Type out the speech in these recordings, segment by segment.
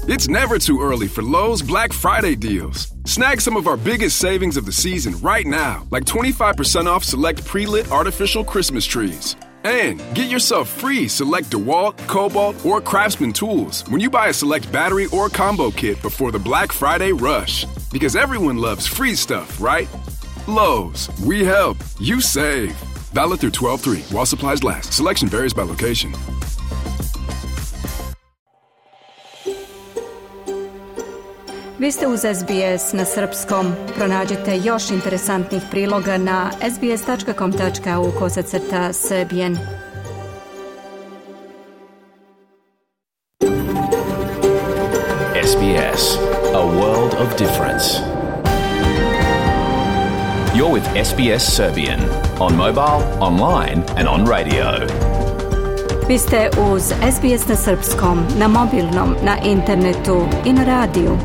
It's never too early for Lowe's Black Friday deals. Snag some of our biggest savings of the season right now, like 25% off select pre-lit artificial Christmas trees. And get yourself free select DeWalt, Cobalt, or Craftsman tools when you buy a select battery or combo kit before the Black Friday rush. Because everyone loves free stuff, right? Lowe's, we help, you save. Valid through 12/3 while supplies last. Selection varies by location. Vi ste uz SBS na srpskom. Pronađite još interesantnih priloga na sbs.com.au/serbian. SBS, a world of difference. You're with SBS Serbian on mobile, online and on radio. Vi ste uz SBS na srpskom, na mobilnom, na internetu i na radiju.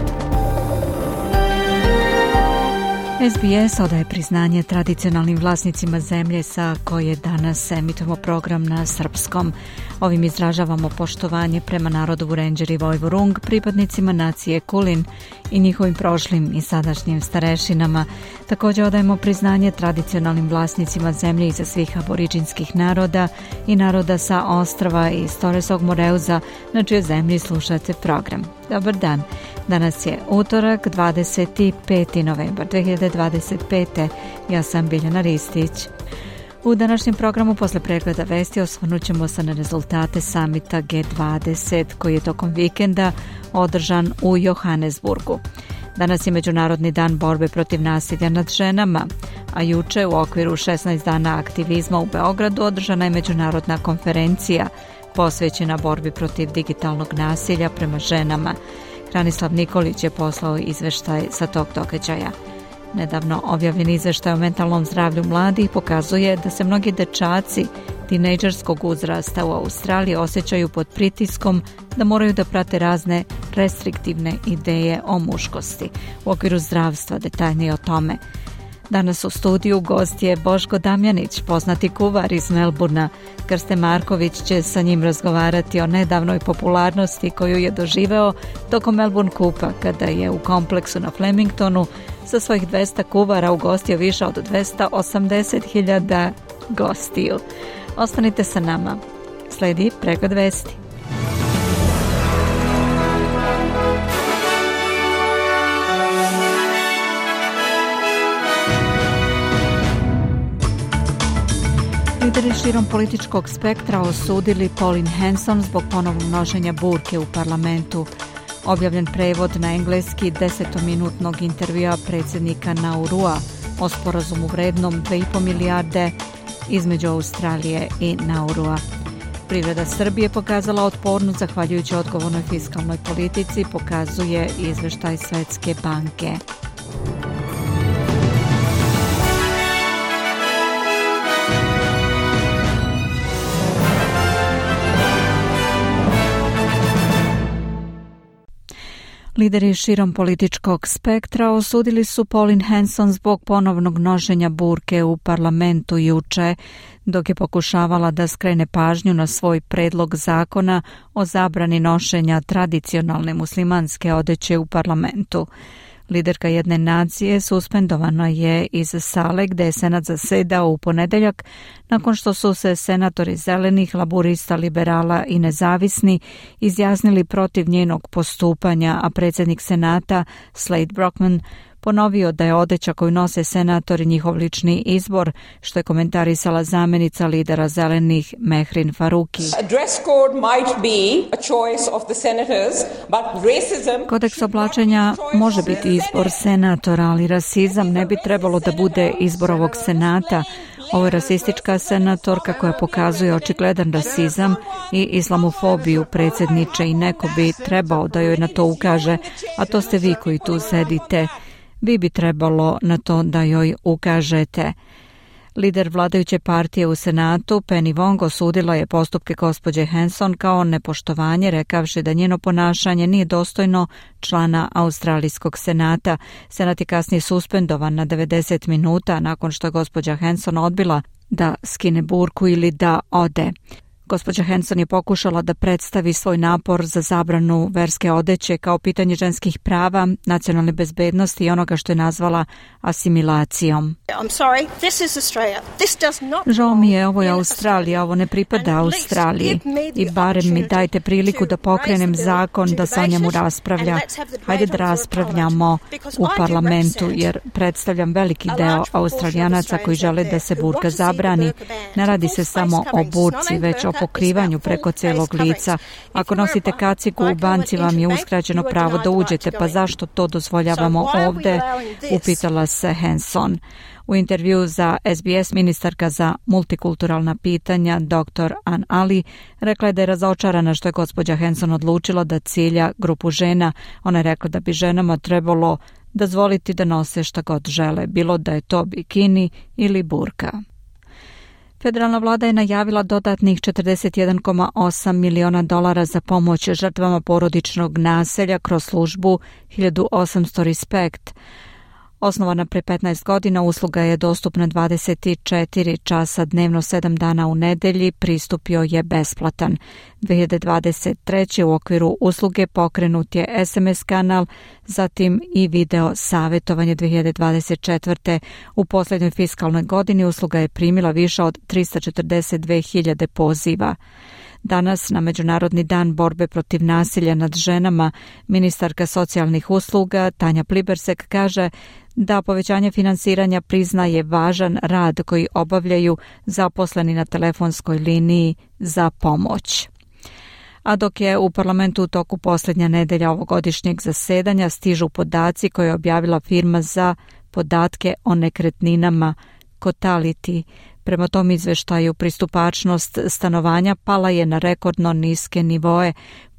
SBS odaje priznanje tradicionalnim vlasnicima zemlje sa koje danas emitujemo program na srpskom. Ovim izražavamo poštovanje prema narodu Vurenđer i Vojvorung, pripadnicima nacije Kulin i njihovim prošlim i sadašnjim starešinama. Također odajemo priznanje tradicionalnim vlasnicima zemlje iza svih aboriđinskih naroda i naroda sa ostrva i Toresog Moreuza, na čijoj zemlji slušate program. Dobar dan. Danas je utorak, 25. novembar 2025. Ja sam Biljana Ristić. U današnjem programu posle pregleda vesti osvrnut ćemo se na rezultate samita G20 koji je tokom vikenda održan u Johannesburgu. Danas je Međunarodni dan borbe protiv nasilja nad ženama, a juče u okviru 16 dana aktivizma u Beogradu održana je međunarodna konferencija posvećena borbi protiv digitalnog nasilja prema ženama. Hranislav Nikolić je poslao izveštaj sa tog događaja. Nedavno objavljen izveštaj o mentalnom zdravlju mladih pokazuje da se mnogi dečaci tinejdžerskog uzrasta u Australiji osjećaju pod pritiskom da moraju da prate razne restriktivne ideje o muškosti. U okviru zdravstva detaljnije o tome. Danas u studiju gost je Boško Damjanić, poznati kuvar iz Melburna. Krste Marković će sa njim razgovarati o nedavnoj popularnosti koju je doživeo tokom Melbourne Kupa, kada je u kompleksu na Flemingtonu sa svojih 200 kuvara ugostio više od 280.000 gostiju. Ostanite sa nama. Sledi pregled vesti. Lideri širom političkog spektra osudili Pauline Hanson zbog ponovnog nošenja burke u parlamentu. Objavljen prevod na engleski 10-minutnog intervjua predsjednika Naurua o sporazumu vrednom 2,5 milijarde između Australije i Naurua. Privreda Srbije pokazala otpornost zahvaljujući odgovornoj fiskalnoj politici, pokazuje izveštaj Svetske banke. Lideri širom političkog spektra osudili su Pauline Hanson zbog ponovnog nošenja burke u parlamentu juče, dok je pokušavala da skrene pažnju na svoj predlog zakona o zabrani nošenja tradicionalne muslimanske odeće u parlamentu. Liderka jedne nacije suspendovana je iz sale gde je senat zasedao u ponedeljak nakon što su se senatori zelenih, laburista, liberala i nezavisni izjasnili protiv njenog postupanja, a predsjednik senata Slade Brockman ponovio da je odeća koju nose senatori njihov lični izbor, što je komentarisala zamjenica lidera zelenih Mehrin Faruki. Kodeks oblačenja može biti izbor senatora, ali rasizam ne bi trebalo da bude izbor ovog senata. Ovo je rasistička senatorka koja pokazuje očigledan rasizam i islamofobiju, predsjedniče, i neko bi trebao da joj na to ukaže, a to ste vi koji tu sedite. Vi bi trebalo na to da joj ukažete. Lider vladajuće partije u Senatu, Penny Wong, osudila je postupke gospođe Hanson kao nepoštovanje, rekavši da njeno ponašanje nije dostojno člana Australijskog senata. Senat je kasnije suspendovan na 90 minuta nakon što je gospođa Hanson odbila da skine burku ili da ode. Gospođa Hanson je pokušala da predstavi svoj napor za zabranu verske odeće kao pitanje ženskih prava, nacionalne bezbednosti i onoga što je nazvala asimilacijom. Žao mi je, ovo je Australija, ovo ne pripada Australiji i barem mi dajte priliku da pokrenem zakon da se o njemu raspravlja. Hajde da raspravljamo u parlamentu jer predstavljam veliki deo Australijanaca koji žele da se burka zabrani. Ne radi se samo o burci, već o pokrivanju preko celog lica. Ako nosite kacigu u banci vam je uskraćeno pravo da uđete, pa zašto to dozvoljavamo ovde? Upitala se Hanson. U intervju za SBS ministarka za multikulturalna pitanja dr. Ann Ali rekla je da je razočarana što je gospođa Hanson odlučila da cilja grupu žena. Ona je rekla da bi ženama trebalo dozvoliti da nose šta god žele, bilo da je to bikini ili burka. Federalna vlada je najavila dodatnih $41,8 miliona za pomoć žrtvama porodičnog nasilja kroz službu 1800 Respect. Osnovana pre 15 godina, usluga je dostupna 24 časa dnevno 7 dana u nedelji, pristup joj je besplatan. 2023. u okviru usluge pokrenut je SMS kanal, zatim i video savjetovanje 2024. U posljednjoj fiskalnoj godini usluga je primila više od 342.000 poziva. Danas, na Međunarodni dan borbe protiv nasilja nad ženama, ministarka socijalnih usluga Tanja Plibersek kaže da povećanje finansiranja priznaje važan rad koji obavljaju zaposleni na telefonskoj liniji za pomoć. A dok je u parlamentu u toku posljednja nedelja ovogodišnjeg zasedanja stižu podaci koje je objavila firma za podatke o nekretninama Cotality. Prema tom izveštaju pristupačnost stanovanja pala je na rekordno niske nivoe,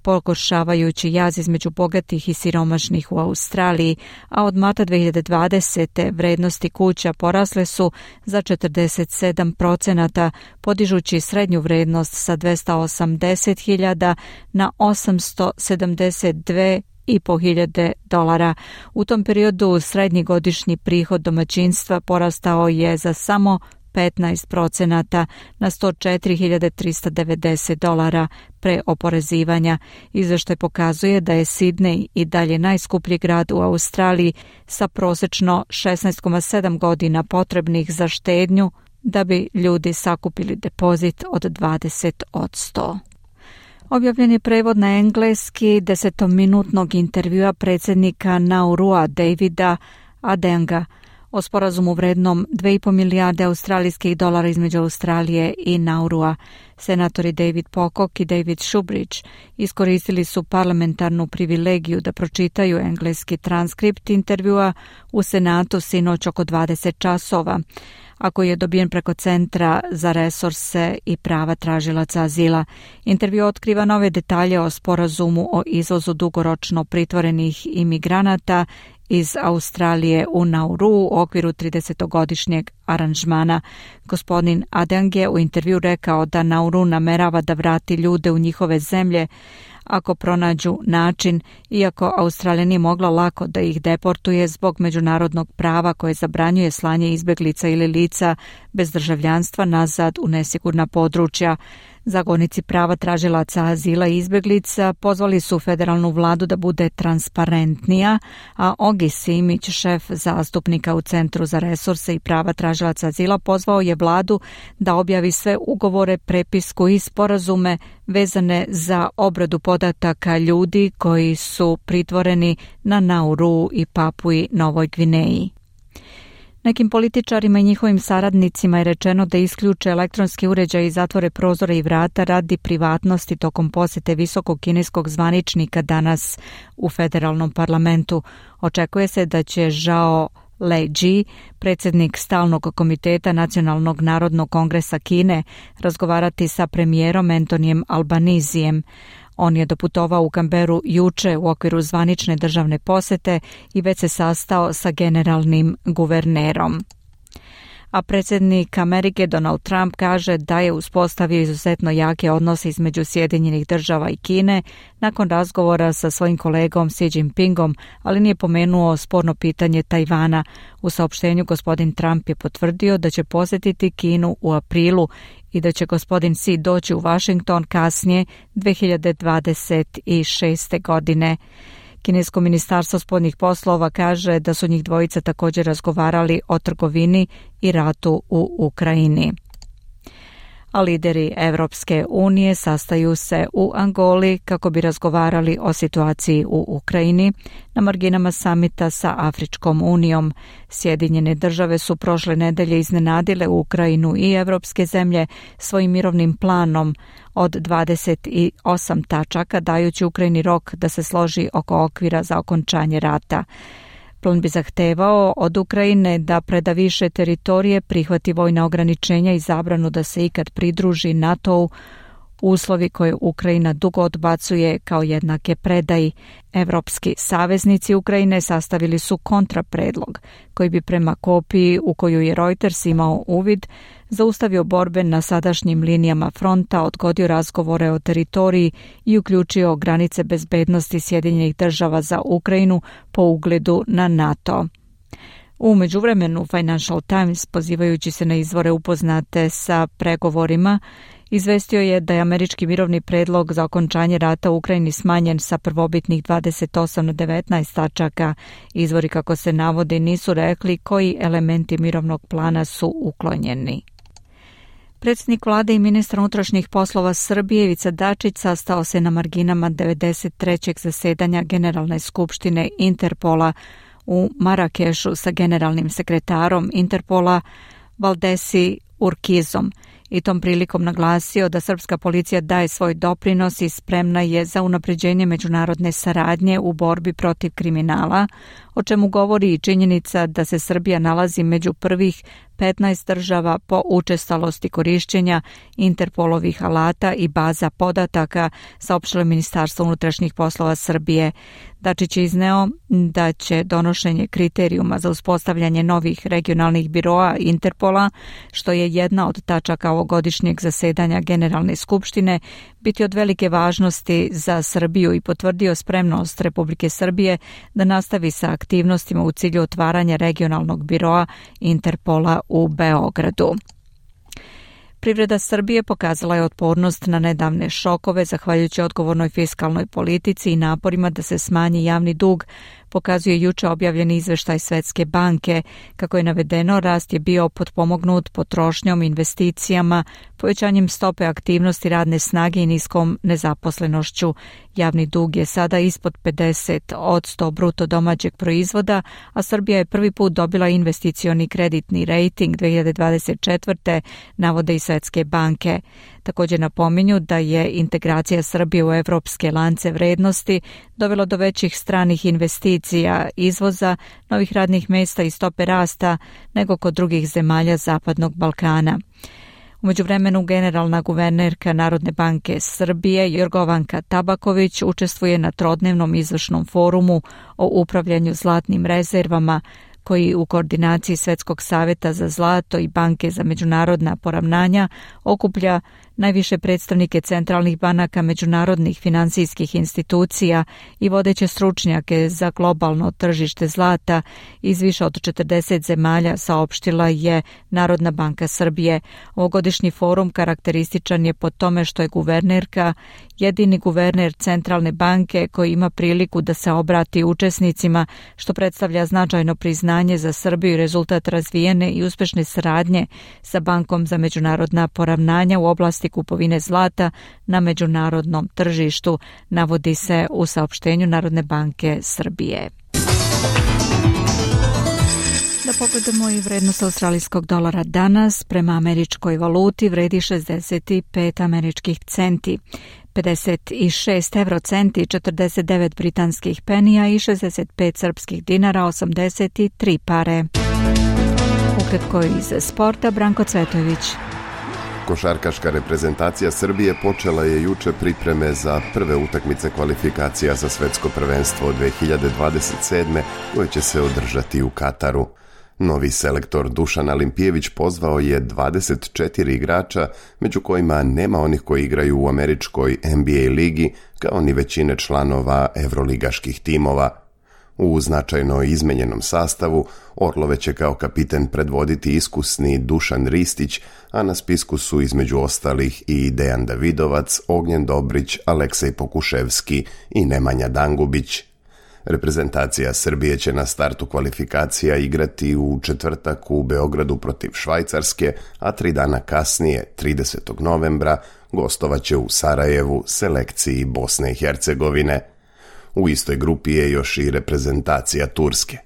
pogoršavajući jaz između bogatih i siromašnih u Australiji, a od marta 2020. vrednosti kuća porasle su za 47%, podižući srednju vrednost sa $280.000 na $872.500. U tom periodu srednji godišnji prihod domaćinstva porastao je za samo 15% na $104.390 pre oporezivanja. Izveštaj pokazuje da je Sidney i dalje najskuplji grad u Australiji sa prosečno 16,7 godina potrebnih za štednju da bi ljudi sakupili depozit od 20%. Objavljen je prevod na engleski 10-minutnog intervjua predsjednika Naurua Davida Adenga o sporazumu vrednom 2,5 milijarde australijskih dolara između Australije i Naurua. Senatori David Pocock i David Shoebridge iskoristili su parlamentarnu privilegiju da pročitaju engleski transkript intervjua u Senatu sinoć oko 20 časova, a koji je dobijen preko Centra za resurse i prava tražilaca azila. Intervju otkriva nove detalje o sporazumu o izvozu dugoročno pritvorenih imigranata iz Australije u Nauru u okviru 30-godišnjeg aranžmana. Gospodin Adeng je u intervju rekao da Nauru namerava da vrati ljude u njihove zemlje ako pronađu način, iako Australija nije mogla lako da ih deportuje zbog međunarodnog prava koje zabranjuje slanje izbjeglica ili lica bez državljanstva nazad u nesigurna područja. Zagovornici prava tražilaca azila i izbjeglica pozvali su federalnu vladu da bude transparentnija, a Ogi Simić, šef zastupnika u Centru za resurse i prava tražilaca azila, pozvao je vladu da objavi sve ugovore, prepisku i sporazume vezane za obradu podataka ljudi koji su pritvoreni na Nauru i Papui Novoj Gvineji. Nekim političarima i njihovim saradnicima je rečeno da isključe elektronski uređaj i zatvore prozore i vrata radi privatnosti tokom posjete visokog kineskog zvaničnika danas u federalnom parlamentu. Očekuje se da će Zhao Leji, predsjednik stalnog komiteta Nacionalnog narodnog kongresa Kine, razgovarati sa premijerom Antonijem Albanizijem. On je doputovao u Canberru juče u okviru zvanične državne posjete i već se sastao sa generalnim guvernerom. a predsjednik Amerike Donald Trump kaže da je uspostavio izuzetno jake odnose između Sjedinjenih Država i Kine nakon razgovora sa svojim kolegom Xi Jinpingom, ali nije pomenuo sporno pitanje Tajvana. U saopštenju gospodin Trump je potvrdio da će posjetiti Kinu u aprilu i da će gospodin Xi doći u Washington kasnije 2026. godine. Kinesko ministarstvo spoljnih poslova kaže da su njih dvojica također razgovarali o trgovini i ratu u Ukrajini. A lideri Evropske unije sastaju se u Angoli kako bi razgovarali o situaciji u Ukrajini na marginama samita sa Afričkom unijom. Sjedinjene Države su prošle nedelje iznenadile Ukrajinu i evropske zemlje svojim mirovnim planom od 28 tačaka, dajući Ukrajini rok da se složi oko okvira za okončanje rata. Plan bi zahtevao od Ukrajine da preda više teritorije, prihvati vojna ograničenja i zabranu da se ikad pridruži NATO-u, uslovi koje Ukrajina dugo odbacuje kao jednake predaji. Evropski saveznici Ukrajine sastavili su kontrapredlog, koji bi prema kopiji u koju je Reuters imao uvid, zaustavio borbe na sadašnjim linijama fronta, odgodio razgovore o teritoriji i uključio granice bezbednosti Sjedinjenih Država za Ukrajinu po ugledu na NATO. U međuvremenu Financial Times, pozivajući se na izvore upoznate sa pregovorima, izvestio je da je američki mirovni predlog za okončanje rata u Ukrajini smanjen sa prvobitnih 28 na 19 tačaka. Izvori, kako se navodi, nisu rekli koji elementi mirovnog plana su uklonjeni. Predsjednik vlade i ministar unutrašnjih poslova Srbije Ivica Dačić sastao se na marginama 93. zasedanja Generalne skupštine Interpola u Marakešu sa generalnim sekretarom Interpola Valdesi Urkizom i tom prilikom naglasio da srpska policija daje svoj doprinos i spremna je za unapređenje međunarodne saradnje u borbi protiv kriminala, o čemu govori i činjenica da se Srbija nalazi među prvih 15 država po učestalosti korišćenja Interpolovih alata i baza podataka, saopštilo Ministarstvo unutrašnjih poslova Srbije. Dačić je izneo da će donošenje kriterijuma za uspostavljanje novih regionalnih biroa Interpola, što je jedna od tačaka ovogodišnjeg zasedanja Generalne skupštine, biti od velike važnosti za Srbiju i potvrdio spremnost Republike Srbije da nastavi sa aktivnostima u cilju otvaranja regionalnog biroa Interpola u Beogradu. Privreda Srbije pokazala je otpornost na nedavne šokove zahvaljujući odgovornoj fiskalnoj politici i naporima da se smanji javni dug, pokazuje juče objavljeni izveštaj Svetske banke. Kako je navedeno, rast je bio potpomognut potrošnjom, investicijama, povećanjem stope aktivnosti radne snage i niskom nezaposlenošću. Javni dug je sada ispod 50% bruto domaćeg proizvoda, a Srbija je prvi put dobila investicioni kreditni rejting 2024. navode i Svetske banke. Također napominju da je integracija Srbije u evropske lance vrednosti dovela do većih stranih investicija, izvoza, novih radnih mjesta i stope rasta nego kod drugih zemalja Zapadnog Balkana. U međuvremenu generalna guvernerka Narodne banke Srbije Jorgovanka Tabaković učestvuje na trodnevnom izvršnom forumu o upravljanju zlatnim rezervama, koji u koordinaciji Svetskog saveta za zlato i Banke za međunarodna poravnanja okuplja najviše predstavnike centralnih banaka, međunarodnih finansijskih institucija i vodeće stručnjake za globalno tržište zlata iz više od 40 zemalja, saopštila je Narodna banka Srbije. Ovogodišnji forum karakterističan je po tome što je guvernerka jedini guverner centralne banke koji ima priliku da se obrati učesnicima, što predstavlja značajno priznanje za Srbiju i rezultat razvijene i uspešne saradnje sa Bankom za međunarodna poravnanja u oblasti kupovine zlata na međunarodnom tržištu, navodi se u saopštenju Narodne banke Srbije. Da pogledamo i vrednost australijskog dolara danas prema američkoj valuti vredi 65 američkih centi, 56 eurocenti, 49 britanskih penija i 65 srpskih dinara, 83 pare. Ukratko iz sporta, Branko Cvetojević. Košarkaška reprezentacija Srbije počela je juče pripreme za prve utakmice kvalifikacija za svetsko prvenstvo 2027. koje će se održati u Kataru. Novi selektor Dušan Alimpijević pozvao je 24 igrača, među kojima nema onih koji igraju u američkoj NBA ligi, kao ni većine članova evroligaških timova. U značajno izmenjenom sastavu Orlove će kao kapiten predvoditi iskusni Dušan Ristić, a na spisku su između ostalih i Dejan Davidovac, Ognjen Dobrić, Aleksej Pokuševski i Nemanja Dangubić. Reprezentacija Srbije će na startu kvalifikacija igrati u četvrtak u Beogradu protiv Švajcarske, a 3 dana kasnije, 30. novembra, gostovaće u Sarajevu selekciji Bosne i Hercegovine. U istoj grupi je još i reprezentacija Turske.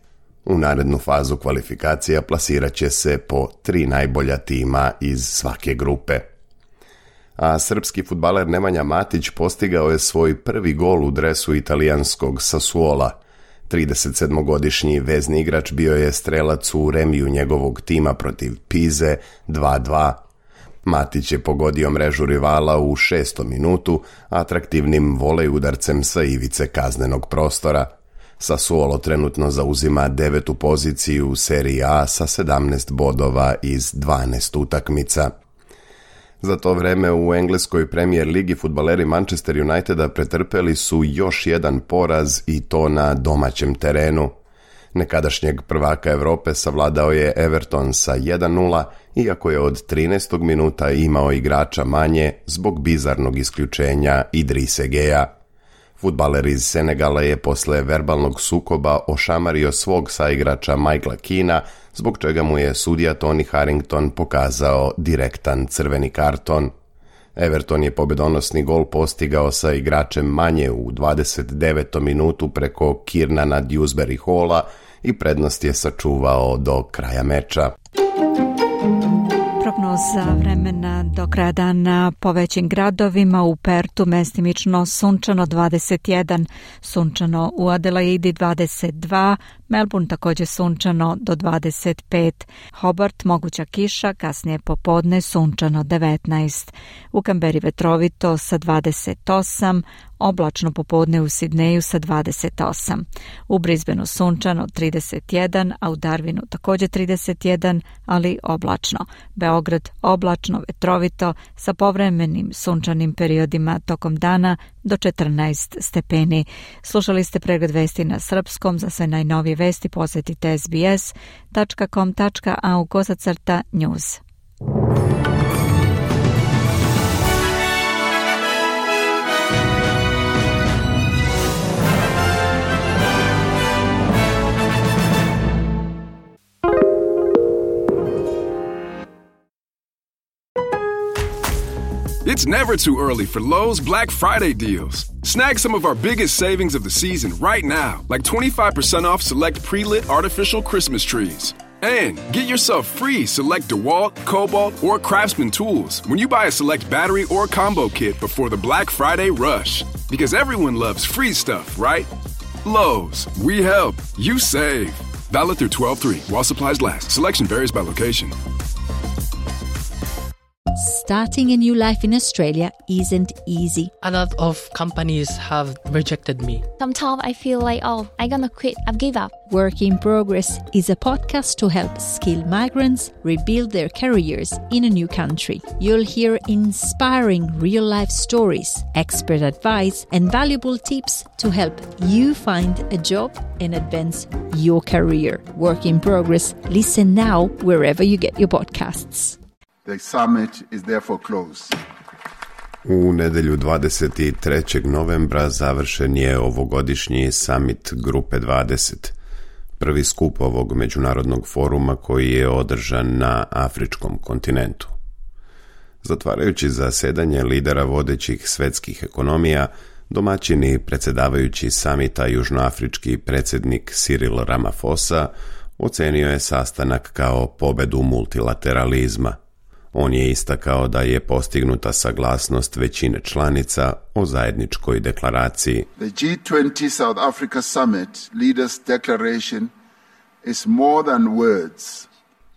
U narednu fazu kvalifikacija plasirat će se po 3 najbolja tima iz svake grupe. A srpski fudbaler Nemanja Matić postigao je svoj prvi gol u dresu italijanskog Sassuola. 37-godišnji vezni igrač bio je strelac u remiju njegovog tima protiv Pize 2-2. Matić je pogodio mrežu rivala u 6. minutu atraktivnim volej udarcem sa ivice kaznenog prostora. Sassuolo trenutno zauzima 9. poziciju u seriji A sa 17 bodova iz 12 utakmica. Za to vreme u engleskoj Premier ligi fudbaleri Manchester Uniteda pretrpeli su još jedan poraz i to na domaćem terenu. Nekadašnjeg prvaka Europe savladao je Everton sa 1-0, iako je od 13. minuta imao igrača manje zbog bizarnog isključenja Idrise Geja. Fudbaler iz Senegala je posle verbalnog sukoba ošamario svog saigrača Michaela Keana, zbog čega mu je sudija Tony Harrington pokazao direktan crveni karton. Everton je pobedonosni gol postigao sa igračem manje u 29. minutu preko Kiernana Dewsbury Halla i prednost je sačuvao do kraja meča. Prognoza vremena do kraja dana po većim gradovima: u Pertu mestimično sunčano 21, sunčano u Adelaidi 22, Melbourne također sunčano do 25, Hobart moguća kiša, kasnije popodne sunčano 19, u Kamberi vetrovito sa 28, oblačno popodne u Sidneju sa 28, u Brisbaneu sunčano 31, a u Darwinu također 31, ali oblačno. Beograd oblačno, vetrovito, sa povremenim sunčanim periodima tokom dana do 14 stepeni. Slušali ste pregled vesti na srpskom. Za sve najnovije vesti posjetite sbs.com.au/news. It's never too early for Lowe's Black Friday deals. Snag some of our biggest savings of the season right now, like 25% off select pre-lit artificial Christmas trees. And get yourself free select DeWalt, Cobalt, or Craftsman tools when you buy a select battery or combo kit before the Black Friday rush. Because everyone loves free stuff, right? Lowe's, we help, you save. Valid through 12/3 while supplies last. Selection varies by location. Starting a new life in Australia isn't easy. A lot of companies have rejected me. Sometimes I feel like, I'm gonna quit, I've give up. Work in Progress is a podcast to help skilled migrants rebuild their careers in a new country. You'll hear inspiring real-life stories, expert advice, and valuable tips to help you find a job and advance your career. Work in Progress. Listen now wherever you get your podcasts. The summit is therefore closed. U nedjelju 23. novembra završen je ovogodišnji summit Grupe 20, prvi skup ovog međunarodnog foruma koji je održan na afričkom kontinentu. Zatvarajući zasedanje lidera vodećih svetskih ekonomija, domaćini predsjedavajući samita južnoafrički predsjednik Cyril Ramaphosa ocenio je sastanak kao pobedu multilateralizma. On je istakao da je postignuta saglasnost većine članica o zajedničkoj deklaraciji. The G20 South Africa Summit Leaders Declaration is more than words.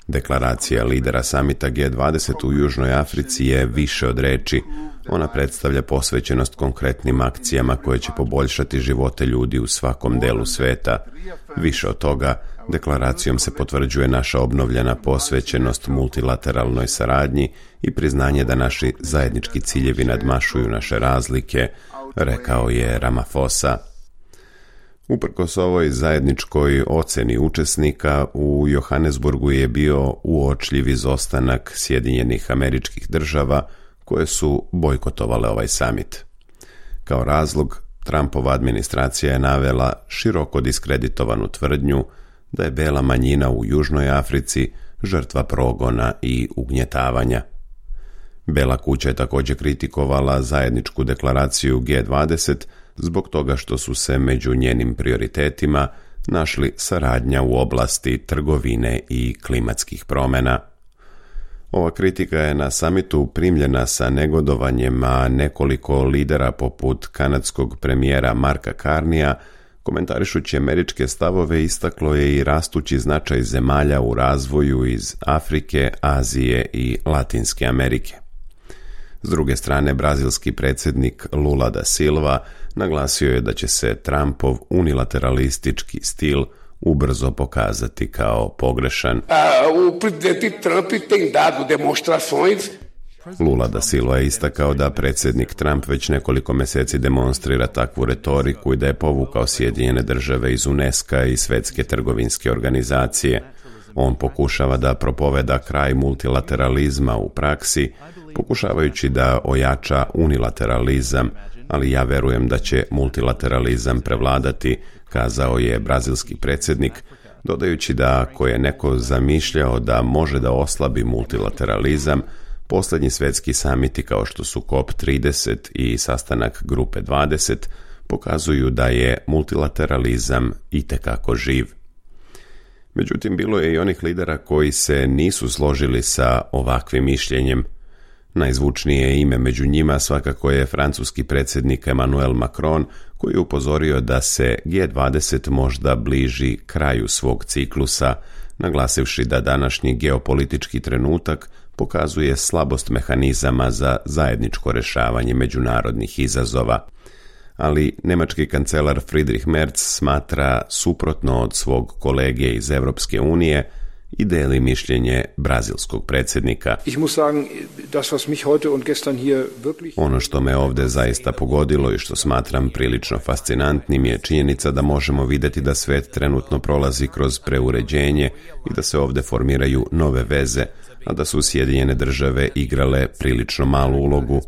Deklaracija lidera samita G20 u Južnoj Africi je više od reči. Ona predstavlja posvećenost konkretnim akcijama koje će poboljšati živote ljudi u svakom delu sveta. Više od toga, Deklaracijom se potvrđuje naša obnovljena posvećenost multilateralnoj saradnji i priznanje da naši zajednički ciljevi nadmašuju naše razlike, rekao je Ramaphosa. Uprkos ovoj zajedničkoj ocjeni učesnika, u Johannesburgu je bio uočljiv izostanak Sjedinjenih Američkih Država koje su bojkotovale ovaj samit. Kao razlog, Trumpova administracija je navela široko diskreditovanu tvrdnju da je bela manjina u Južnoj Africi žrtva progona i ugnjetavanja. Bela kuća je također kritikovala zajedničku deklaraciju G20 zbog toga što su se među njenim prioritetima našli saradnja u oblasti trgovine i klimatskih promjena. Ova kritika je na samitu primljena sa negodovanjem, a nekoliko lidera poput kanadskog premijera Marka Carneya, komentarišući američke stavove, istaklo je i rastući značaj zemalja u razvoju iz Afrike, Azije i Latinske Amerike. S druge strane, brazilski predsjednik Lula da Silva naglasio je da će se Trumpov unilateralistički stil ubrzo pokazati kao pogrešan. O presidente Trump tem dado demonstrações. Lula da Silva je istakao da predsjednik Trump već nekoliko mjeseci demonstrira takvu retoriku i da je povukao Sjedinjene Države iz UNESCO i Svjetske trgovinske organizacije. On pokušava da propoveda kraj multilateralizma u praksi, pokušavajući da ojača unilateralizam, ali ja verujem da će multilateralizam prevladati, kazao je brazilski predsjednik, dodajući da ako je neko zamišljao da može da oslabi multilateralizam, posljednji svjetski samiti kao što su COP30 i sastanak Grupe 20 pokazuju da je multilateralizam itekako živ. Međutim, bilo je i onih lidera koji se nisu složili sa ovakvim mišljenjem. Najzvučnije ime među njima svakako je francuski predsjednik Emmanuel Macron, koji je upozorio da se G20 možda bliži kraju svog ciklusa, naglasivši da današnji geopolitički trenutak pokazuje slabost mehanizama za zajedničko rješavanje međunarodnih izazova. Ali njemački kancelar Friedrich Merz smatra suprotno od svog kolege iz Europske unije i deli mišljenje brazilskog predsjednika. Ono što me ovdje zaista pogodilo i što smatram prilično fascinantnim je činjenica da možemo vidjeti da svijet trenutno prolazi kroz preuređenje i da se ovdje formiraju nove veze, a da su Sjedinjene Države igrale prilično malu ulogu.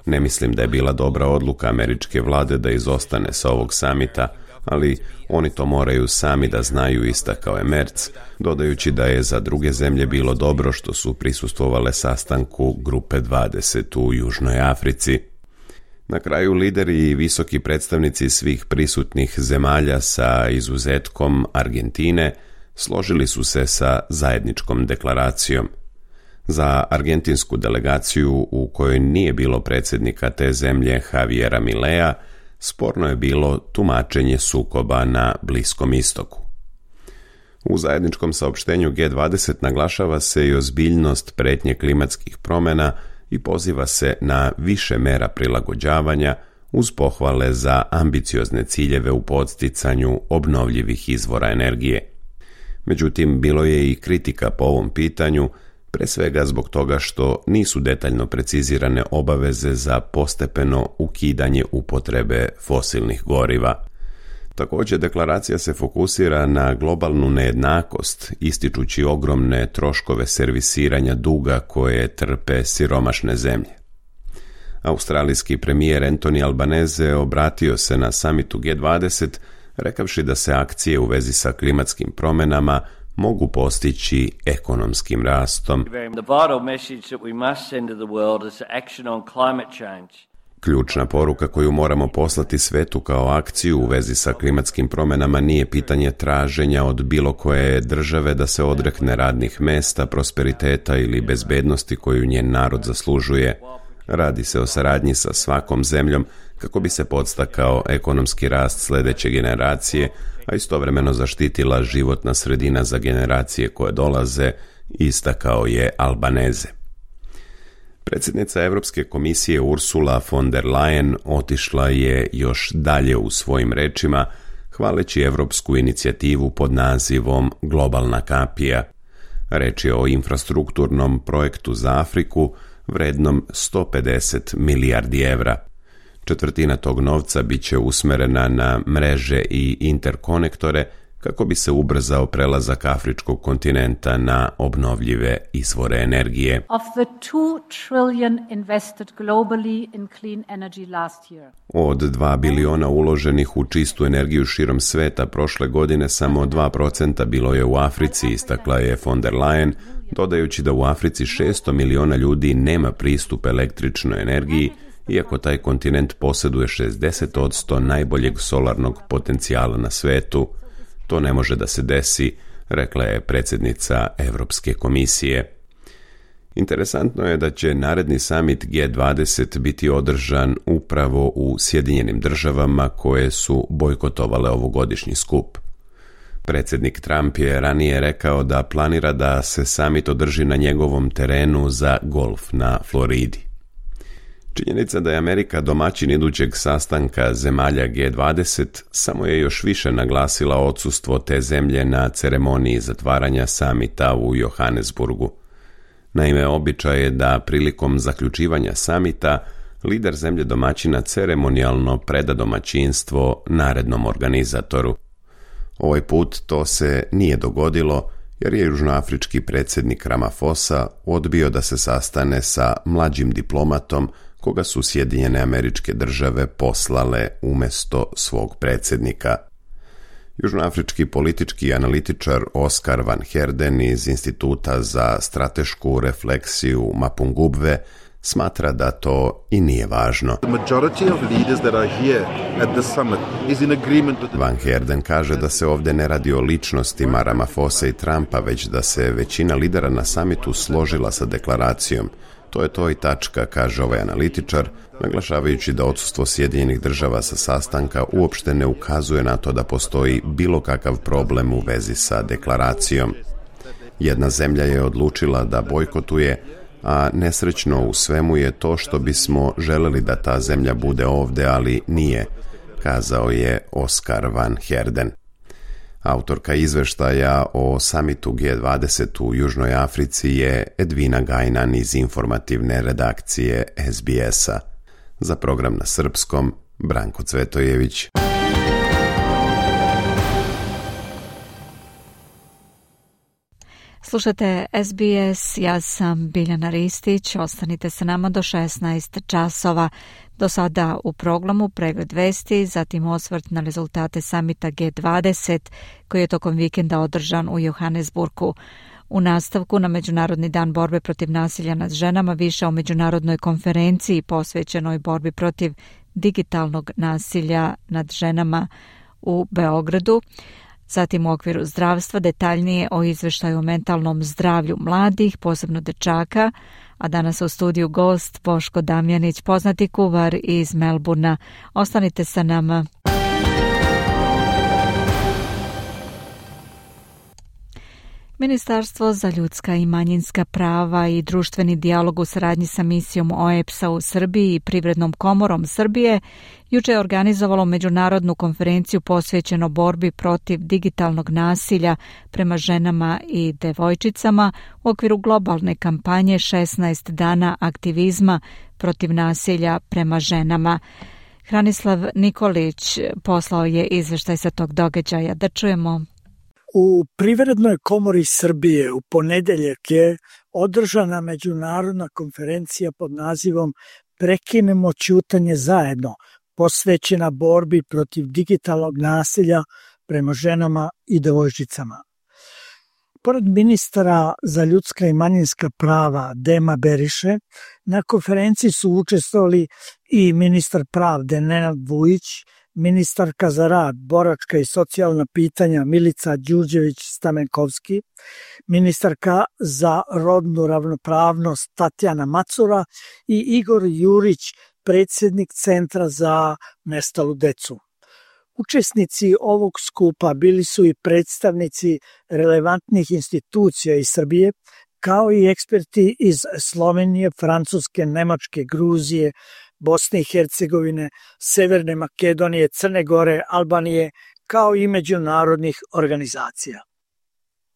Ne mislim da je bila dobra odluka američke vlade da izostane sa ovog samita, ali oni to moraju sami da znaju, istakao je Merz, dodajući da je za druge zemlje bilo dobro što su prisustvovale sastanku Grupe 20 u Južnoj Africi. Na kraju lideri i visoki predstavnici svih prisutnih zemalja sa izuzetkom Argentine složili su se sa zajedničkom deklaracijom. Za argentinsku delegaciju, u kojoj nije bilo predsjednika te zemlje Javiera Milea, sporno je bilo tumačenje sukoba na Bliskom istoku. U zajedničkom saopštenju G20 naglašava se i ozbiljnost prijetnje klimatskih promjena i poziva se na više mera prilagođavanja uz pohvale za ambiciozne ciljeve u podsticanju obnovljivih izvora energije. Međutim, bilo je i kritika po ovom pitanju, pre svega zbog toga što nisu detaljno precizirane obaveze za postepeno ukidanje upotrebe fosilnih goriva. Također, deklaracija se fokusira na globalnu nejednakost, ističući ogromne troškove servisiranja duga koje trpe siromašne zemlje. Australijski premijer Anthony Albanese obratio se na samitu G20, rekavši da se akcije u vezi sa klimatskim promjenama mogu postići ekonomskim rastom. Ključna poruka koju moramo poslati svetu kao akciju u vezi sa klimatskim promjenama nije pitanje traženja od bilo koje države da se odrekne radnih mesta, prosperiteta ili bezbednosti koju njen narod zaslužuje. Radi se o saradnji sa svakom zemljom kako bi se podstakao ekonomski rast sljedeće generacije, a istovremeno zaštitila životna sredina za generacije koje dolaze, istakao je Albanese. Predsjednica Europske komisije Ursula von der Leyen otišla je još dalje u svojim rečima, hvaleći evropsku inicijativu pod nazivom Globalna kapija. Reč je o infrastrukturnom projektu za Afriku vrednom 150 milijardi evra. Četvrtina tog novca bit će usmerena na mreže i interkonektore kako bi se ubrzao prelazak afričkog kontinenta na obnovljive izvore energije. Od 2 biliona uloženih u čistu energiju širom sveta prošle godine samo 2% bilo je u Africi, istakla je von der Leyen, dodajući da u Africi 600 miliona ljudi nema pristup električnoj energiji, iako taj kontinent posjeduje 60% najboljeg solarnog potencijala na svetu. To ne može da se desi, rekla je predsjednica Europske komisije. Interesantno je da će naredni summit G20 biti održan upravo u Sjedinjenim državama koje su bojkotovale ovogodišnji skup. Predsjednik Trump je ranije rekao da planira da se summit održi na njegovom terenu za golf na Floridi. Činjenica da je Amerika domaćin idućeg sastanka zemalja G20 samo je još više naglasila odsustvo te zemlje na ceremoniji zatvaranja samita u Johannesburgu. Naime, običaj je da prilikom zaključivanja samita lider zemlje domaćina ceremonijalno preda domaćinstvo narednom organizatoru. Ovaj put to se nije dogodilo jer je južnoafrički predsjednik Ramaphosa odbio da se sastane sa mlađim diplomatom koga su Sjedinjene Američke Države poslale umjesto svog predsjednika. Južnoafrički politički analitičar Oscar van Heerden iz Instituta za stratešku refleksiju Mapungubwe smatra da to i nije važno. Van Heerden kaže da se ovdje ne radi o ličnostima Ramaphosa i Trumpa, već da se većina lidera na samitu složila sa deklaracijom. To je to i tačka, kaže ovaj analitičar, naglašavajući da odsustvo Sjedinjenih država sa sastanka uopšte ne ukazuje na to da postoji bilo kakav problem u vezi sa deklaracijom. Jedna zemlja je odlučila da bojkotuje, a nesrećno u svemu je to što bismo želeli da ta zemlja bude ovdje, ali nije, kazao je Oscar van Heerden. Autorka izveštaja o samitu G20 u Južnoj Africi je Edvina Gajnan iz informativne redakcije SBS-a. Za program na srpskom, Branko Cvetojević. Slušate SBS, ja sam Biljana Ristić, ostanite sa nama do 16 časova. Do sada u programu pregled vesti, zatim osvrt na rezultate samita G20 koji je tokom vikenda održan u Johannesburgu. U nastavku na Međunarodni dan borbe protiv nasilja nad ženama više o međunarodnoj konferenciji posvećenoj borbi protiv digitalnog nasilja nad ženama u Beogradu. Zatim u okviru zdravstva detaljnije o izveštaju o mentalnom zdravlju mladih, posebno dečaka, a danas u studiju gost Boško Damjanić, poznati kuvar iz Melburna. Ostanite sa nama. Ministarstvo za ljudska i manjinska prava i društveni dijalog u saradnji sa misijom OEBS-a u Srbiji i Privrednom komorom Srbije juče je organizovalo međunarodnu konferenciju posvećeno borbi protiv digitalnog nasilja prema ženama i devojčicama u okviru globalne kampanje 16 dana aktivizma protiv nasilja prema ženama. Hranislav Nikolić poslao je izveštaj sa tog događaja. Da čujemo. U Privrednoj komori Srbije u ponedeljak je održana međunarodna konferencija pod nazivom Prekinemo ćutanje zajedno, posvećena borbi protiv digitalnog nasilja prema ženama i devojčicama. Pored ministara za ljudska i manjinska prava Dema Beriše, na konferenciji su učestvovali i ministar pravde Nenad Vujić, ministarka za rad, boračka i socijalna pitanja Milica Đurđević-Stamenkovski, ministarka za rodnu ravnopravnost Tatjana Macura i Igor Jurić, predsjednik Centra za nestalu decu. Učesnici ovog skupa bili su i predstavnici relevantnih institucija iz Srbije, kao i eksperti iz Slovenije, Francuske, Nemačke, Gruzije, Bosne i Hercegovine, Severne Makedonije, Crne Gore, Albanije, kao i međunarodnih organizacija.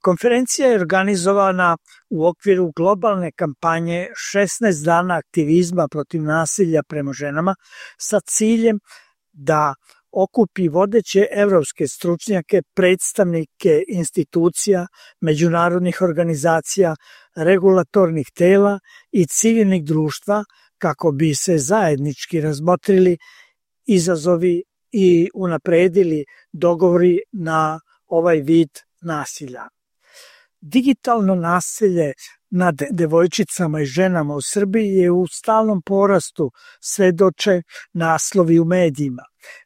Konferencija je organizovana u okviru globalne kampanje 16 dana aktivizma protiv nasilja prema ženama sa ciljem da okupi vodeće evropske stručnjake, predstavnike institucija, međunarodnih organizacija, regulatornih tela i civilnih društva kako bi se zajednički razmotrili izazovi i unapredili dogovori na ovaj vid nasilja. Digitalno nasilje nad devojčicama i ženama u Srbiji je u stalnom porastu, svedoče naslovi u medijima.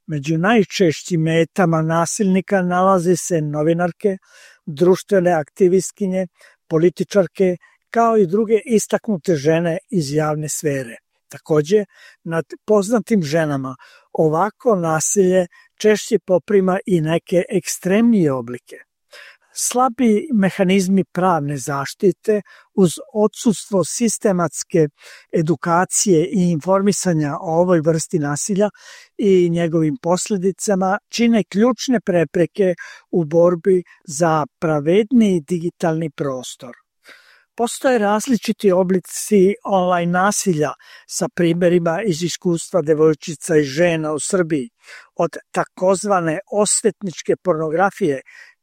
Među najčešćim metama nasilnika nalaze se novinarke, društvene aktivistkinje, političarke, kao i druge istaknute žene iz javne sfere. Takođe, nad poznatim ženama ovako nasilje češće poprima i neke ekstremnije oblike. Slabi mehanizmi pravne zaštite uz odsustvo sistematske edukacije i informisanja o ovoj vrsti nasilja i njegovim posljedicama čine ključne prepreke u borbi za pravedniji digitalni prostor. Postoje različiti oblici online nasilja sa primerima iz iskustva devojčica i žena u Srbiji, od takozvane osvetničke pornografije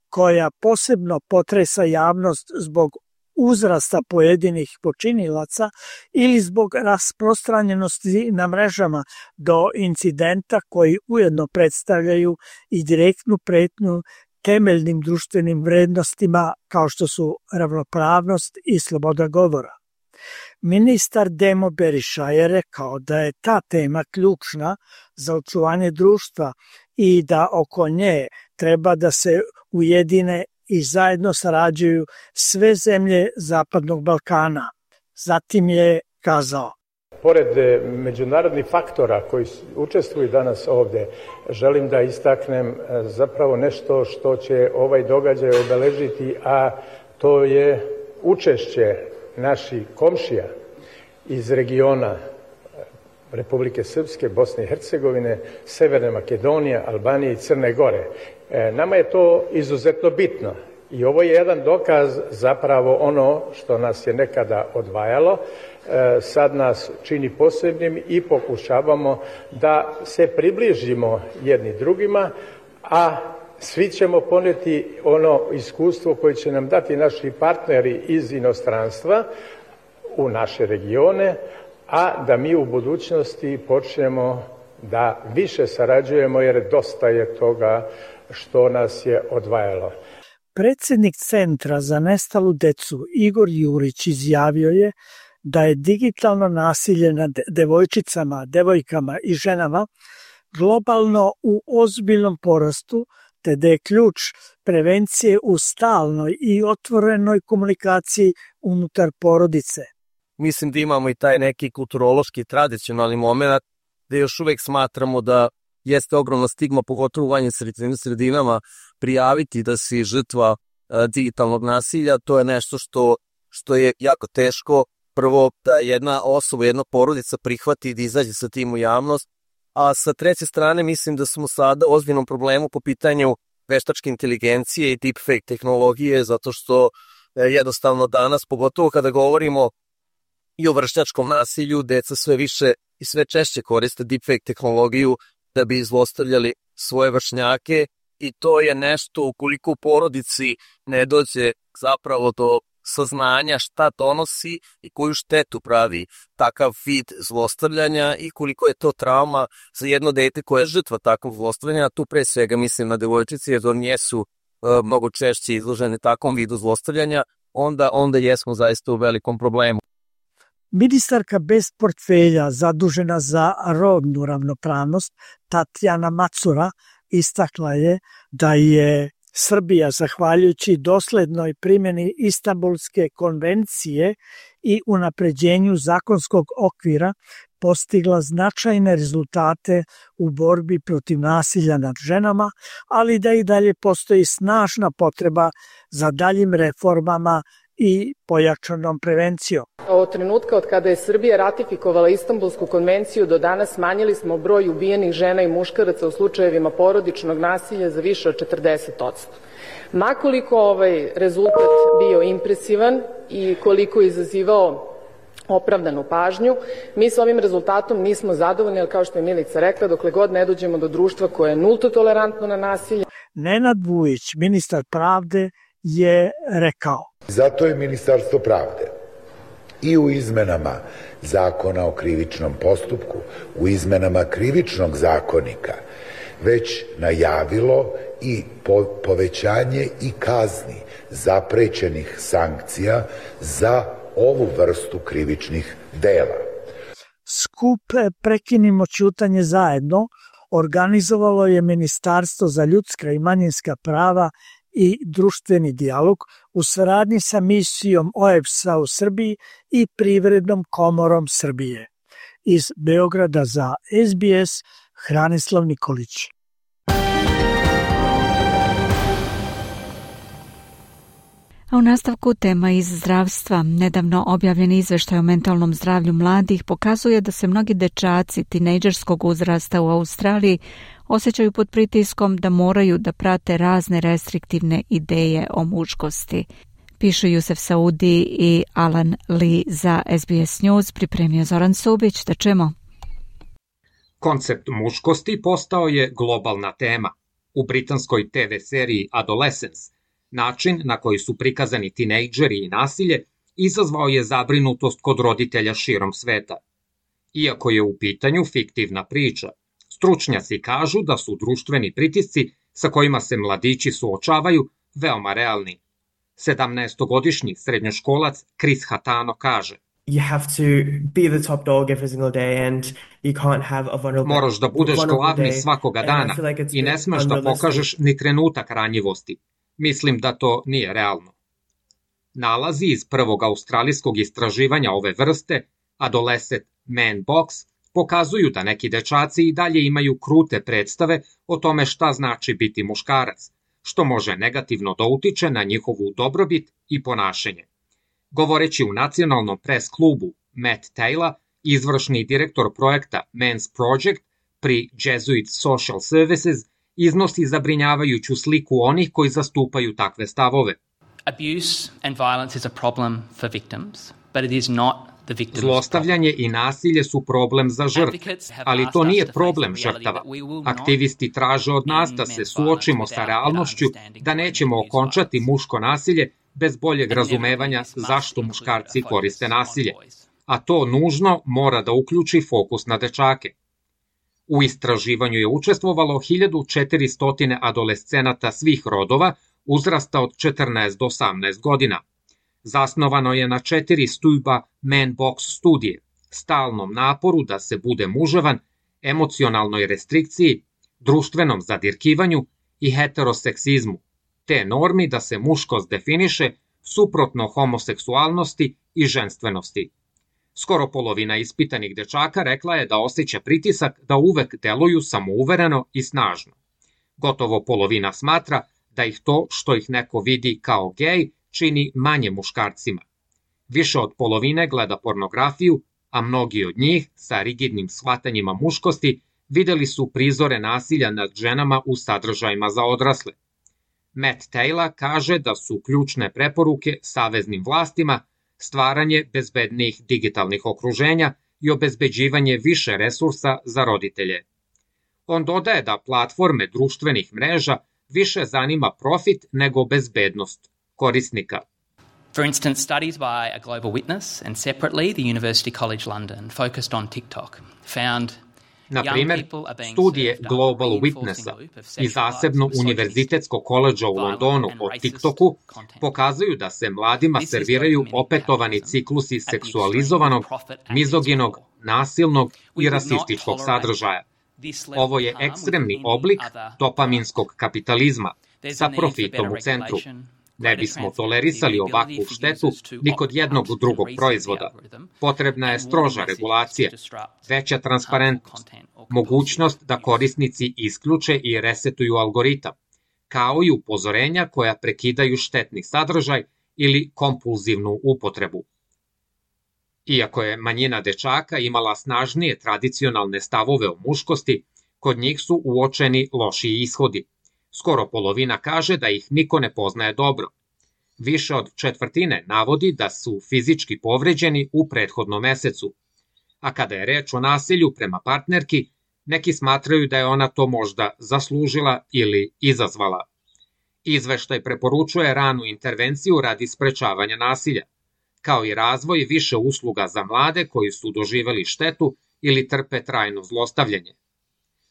koja posebno potresa javnost zbog uzrasta pojedinih počinilaca ili zbog rasprostranjenosti na mrežama do incidenta koji ujedno predstavljaju i direktnu pretnju temeljnim društvenim vrednostima kao što su ravnopravnost i sloboda govora. Ministar Demo Beriša je rekao da je ta tema ključna za očuvanje društva i da oko nje treba da se ujedine i zajedno sarađuju sve zemlje Zapadnog Balkana. Zatim je kazao: Pored međunarodnih faktora koji učestvuju danas ovde, želim da istaknem zapravo nešto što će ovaj događaj obeležiti, a to je učešće naših komšija iz regiona Republike Srpske, Bosne i Hercegovine, Severne Makedonije, Albanije i Crne Gore. Nama je to izuzetno bitno i ovo je jedan dokaz zapravo ono što nas je nekada odvajalo, sad nas čini posebnim i pokušavamo da se približimo jedni drugima, a svi ćemo poneti ono iskustvo koje će nam dati naši partneri iz inostranstva u naše regione, a da mi u budućnosti počnemo da više sarađujemo jer dosta je toga što nas je odvajalo. Predsednik Centra za nestalu decu Igor Jurić izjavio je da je digitalno nasilje nad devojčicama, devojkama i ženama globalno u ozbiljnom porastu, te da je ključ prevencije u stalnoj i otvorenoj komunikaciji unutar porodice. Mislim da imamo i taj neki kulturološki, tradicionalni moment da još uvek smatramo da jeste ogromna stigma, pogotovo u vanjim sredinama, prijaviti da si žrtva digitalnog nasilja. To je nešto što je jako teško. Prvo da jedna osoba, jedna porodica prihvati da izađe sa tim u javnost, a sa treće strane mislim da smo sada u ozbiljnom problemu po pitanju veštačke inteligencije i deepfake tehnologije, zato što jednostavno danas, pogotovo kada govorimo i o vršnjačkom nasilju, deca sve više i sve češće koriste deepfake tehnologiju da bi zlostavljali svoje vršnjake i to je nešto ukoliko u porodici ne dođe zapravo do saznanja šta donosi i koju štetu pravi takav vid zlostavljanja i koliko je to trauma za jedno dete koje je žrtva takvog zlostavljanja. Tu pre svega mislim na devojčice jer one su mnogo češće izložene takvom vidu zlostavljanja, onda jesmo zaista u velikom problemu. Ministarka bez portfelja zadužena za rodnu ravnopravnost Tatjana Macura istakla je da je Srbija, zahvaljujući doslednoj primjeni Istanbulske konvencije i unapređenju zakonskog okvira, postigla značajne rezultate u borbi protiv nasilja nad ženama, ali da i dalje postoji snažna potreba za daljim reformama i pojačanom prevencijom. Od trenutka od kada je Srbija ratifikovala Istanbulsku konvenciju do danas smanjili smo broj ubijenih žena i muškaraca u slučajevima porodičnog nasilja za više od 40%. Makoliko ovaj rezultat bio impresivan i koliko je izazivao opravdanu pažnju, mi s ovim rezultatom nismo zadovoljni, ali kao što je Milica rekla, dokle god ne dođemo do društva koje je nulto tolerantno na nasilje. Nenad Vujić, ministar pravde, je rekao: Zato je Ministarstvo pravde i u izmenama Zakona o krivičnom postupku, u izmenama Krivičnog zakonika već najavilo i povećanje i kazni zaprećenih sankcija za ovu vrstu krivičnih dela. Skup Prekinimo ćutanje zajedno organizovalo je Ministarstvo za ljudska i manjinska prava i društveni dijalog u saradnji sa misijom OEBS-a u Srbiji i Privrednom komorom Srbije. Iz Beograda za SBS, Hranislav Nikolić. A u nastavku tema iz zdravstva. Nedavno objavljen izveštaj o mentalnom zdravlju mladih pokazuje da se mnogi dečaci tinejdžerskog uzrasta u Australiji osjećaju pod pritiskom da moraju da prate razne restriktivne ideje o muškosti. Pišu Jusef Saudi i Alan Lee za SBS News, pripremio Zoran Subić, da čujemo. Koncept muškosti postao je globalna tema. U britanskoj TV seriji Adolescence način na koji su prikazani tinejdžeri i nasilje izazvao je zabrinutost kod roditelja širom sveta. Iako je u pitanju fiktivna priča, stručnjaci kažu da su društveni pritisci sa kojima se mladići suočavaju veoma realni. 17-godišnji srednjoškolac Chris Hatano kaže: Moraš da budeš glavni svakoga dana i ne smeš da pokažeš ni trenutak ranjivosti. Mislim da to nije realno. Nalazi iz prvog australijskog istraživanja ove vrste, Adolescent Man Box, pokazuju da neki dečaci i dalje imaju krute predstave o tome šta znači biti muškarac, što može negativno da utiče na njihovu dobrobit i ponašanje. Govoreći u nacionalnom pres klubu, Matt Taylor, izvršni direktor projekta Men's Project pri Jesuit Social Services, iznosi zabrinjavajuću sliku onih koji zastupaju takve stavove. Abuse and violence is a problem for victims, but it is not the victim's problem. Zlostavljanje i nasilje su problem za žrtve, ali to nije problem žrtava. Aktivisti traže od nas da se suočimo sa realnošću, da nećemo okončati muško nasilje bez boljeg razumevanja zašto muškarci koriste nasilje. A to nužno mora da uključi fokus na dečake. U istraživanju je učestvovalo 1400 adolescenata svih rodova uzrasta od 14 do 18 godina. Zasnovano je na 4 stuba Man Box studije, stalnom naporu da se bude muževan, emocionalnoj restrikciji, društvenom zadirkivanju i heteroseksizmu, te normi da se muškost definiše suprotno homoseksualnosti i ženstvenosti. Skoro polovina ispitanih dečaka rekla je da osjeća pritisak da uvek deluju samouvereno i snažno. Gotovo polovina smatra da ih to što ih neko vidi kao gej čini manje muškarcima. Više od polovine gleda pornografiju, a mnogi od njih sa rigidnim shvatanjima muškosti videli su prizore nasilja nad ženama u sadržajima za odrasle. Matt Taylor kaže da su ključne preporuke saveznim vlastima stvaranje bezbednijih digitalnih okruženja i obezbeđivanje više resursa za roditelje. On dodaje da platforme društvenih mreža više zanima profit nego bezbednost korisnika. For instance, studies by a Global Witness and separately the University College London focused on TikTok found Na primer, studije Global Witnessa i zasebno Univerzitetskog koledža u Londonu o TikToku pokazuju da se mladima serviraju opetovani ciklusi seksualizovanog, mizoginog, nasilnog i rasističkog sadržaja. Ovo je ekstremni oblik dopaminskog kapitalizma sa profitom u centru. Ne bismo tolerisali ovakvu štetu ni kod jednog drugog proizvoda. Potrebna je stroža regulacija, veća transparentnost, mogućnost da korisnici isključe i resetuju algoritam, kao i upozorenja koja prekidaju štetni sadržaj ili kompulzivnu upotrebu. Iako je manjina dečaka imala snažnije tradicionalne stavove o muškosti, kod njih su uočeni lošiji ishodi. Skoro polovina kaže da ih niko ne poznaje dobro. Više od četvrtine navodi da su fizički povređeni u prethodnom mesecu. A kada je reč o nasilju prema partnerki, neki smatraju da je ona to možda zaslužila ili izazvala. Izveštaj preporučuje ranu intervenciju radi sprečavanja nasilja, kao i razvoj više usluga za mlade koji su doživeli štetu ili trpe trajno zlostavljanje.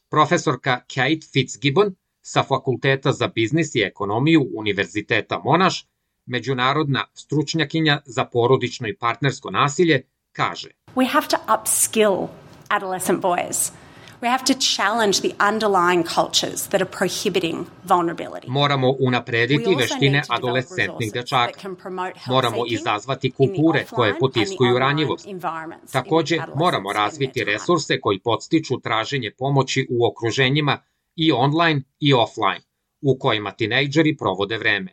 Profesorka Kate Fitzgibbon sa Fakulteta za biznis i ekonomiju Univerziteta Monash, međunarodna stručnjakinja za porodično i partnersko nasilje, kaže: We have to upskill adolescent boys. We have to challenge the underlying cultures that are prohibiting vulnerability. Moramo unaprediti veštine adolescentnih dečaka. Moramo izazvati kulture koje potiskuju ranjivost. Takođe, moramo razviti resurse koji podstiču traženje pomoći u okruženjima i online i offline, u kojima tinejdžeri provode vreme.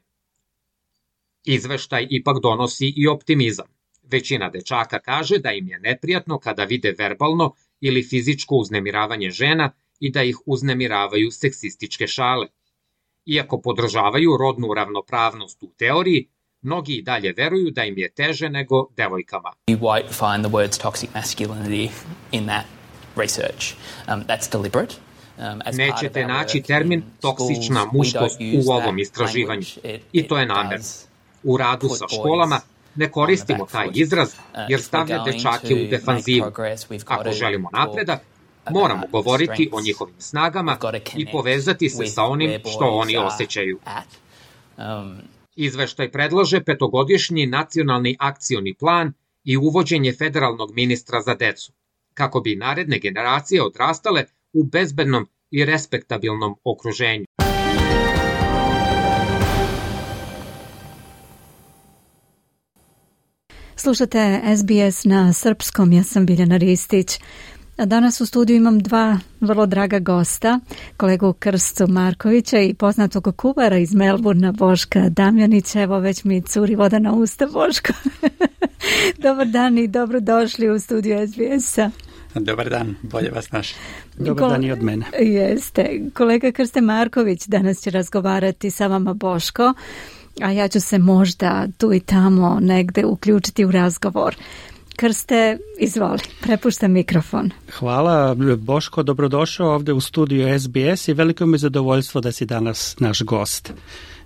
Izveštaj ipak donosi i optimizam. Većina dečaka kaže da im je neprijatno kada vide verbalno ili fizičko uznemiravanje žena i da ih uznemiravaju seksističke šale. Iako podržavaju rodnu ravnopravnost u teoriji, mnogi i dalje veruju da im je teže nego devojkama. You won't find the words toxic masculinity in that research. That's deliberate. Nećete naći termin toksična muškost u ovom istraživanju i to je namerno. U radu sa školama ne koristimo taj izraz jer stavlja dečake u defanzivu. Ako želimo napredak, moramo govoriti o njihovim snagama i povezati se sa onim što oni osjećaju. Izveštaj predlaže 5-godišnji nacionalni akcioni plan i uvođenje federalnog ministra za decu, kako bi naredne generacije odrastale u bezbednom i respektabilnom okruženju. Slušate SBS na srpskom, ja sam Biljana Ristić. A danas u studiju imam dva vrlo draga gosta, kolegu Krstu Markovića i poznatog kuvara iz Melburna, Boška Damjanića. Evo, već mi curi voda na usta, Boško. Dobar dan i dobrodošli u studiju SBS-a. Dobar dan, bolje vas naši. Dobar dan i od mene. Jeste. Kolega Krste Marković danas će razgovarati sa vama, Boško, a ja ću se možda tu i tamo negde uključiti u razgovor. Krste, izvoli, prepuštam mikrofon. Hvala, Boško, dobrodošao ovde u studiju SBS i veliko mi je zadovoljstvo da si danas naš gost.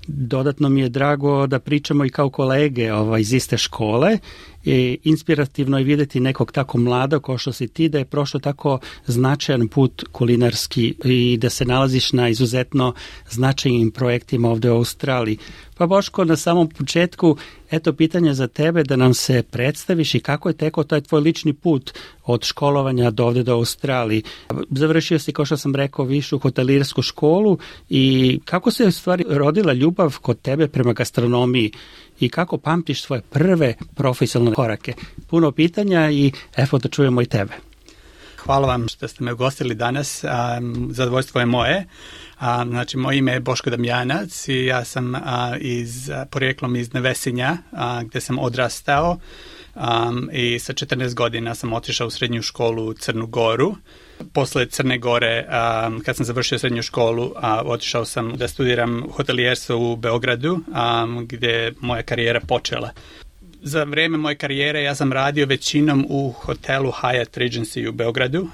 Dodatno mi je drago da pričamo i kao kolege iz iste škole. I inspirativno je vidjeti nekog tako mlada kao što si ti, da je prošlo tako značajan put kulinarski i da se nalaziš na izuzetno značajnim projektima ovdje u Australiji. Pa Boško, na samom početku, eto pitanje za tebe da nam se predstaviš i kako je tekao taj tvoj lični put od školovanja do ovdje do Australiji. Završio si, kao što sam rekao, višu hotelirsku školu i kako se u stvari rodila ljubav kod tebe prema gastronomiji i kako pamtiš svoje prve profesionalne korake? Puno pitanja i evo da čujemo i tebe. Hvala vam što ste me ugostili danas. Zadovoljstvo je moje. Znači, moje ime je Boško Damjanac i ja sam porijeklom iz Nevesinja, gdje sam odrastao. I sa 14 godina sam otišao u srednju školu u Crnu Goru. Posle Crne Gore, kad sam završio srednju školu, otišao sam da studiram hotelijerstvo u Beogradu, gdje je moja karijera počela. Za vrijeme moje karijere ja sam radio većinom u hotelu Hyatt Regency u Beogradu,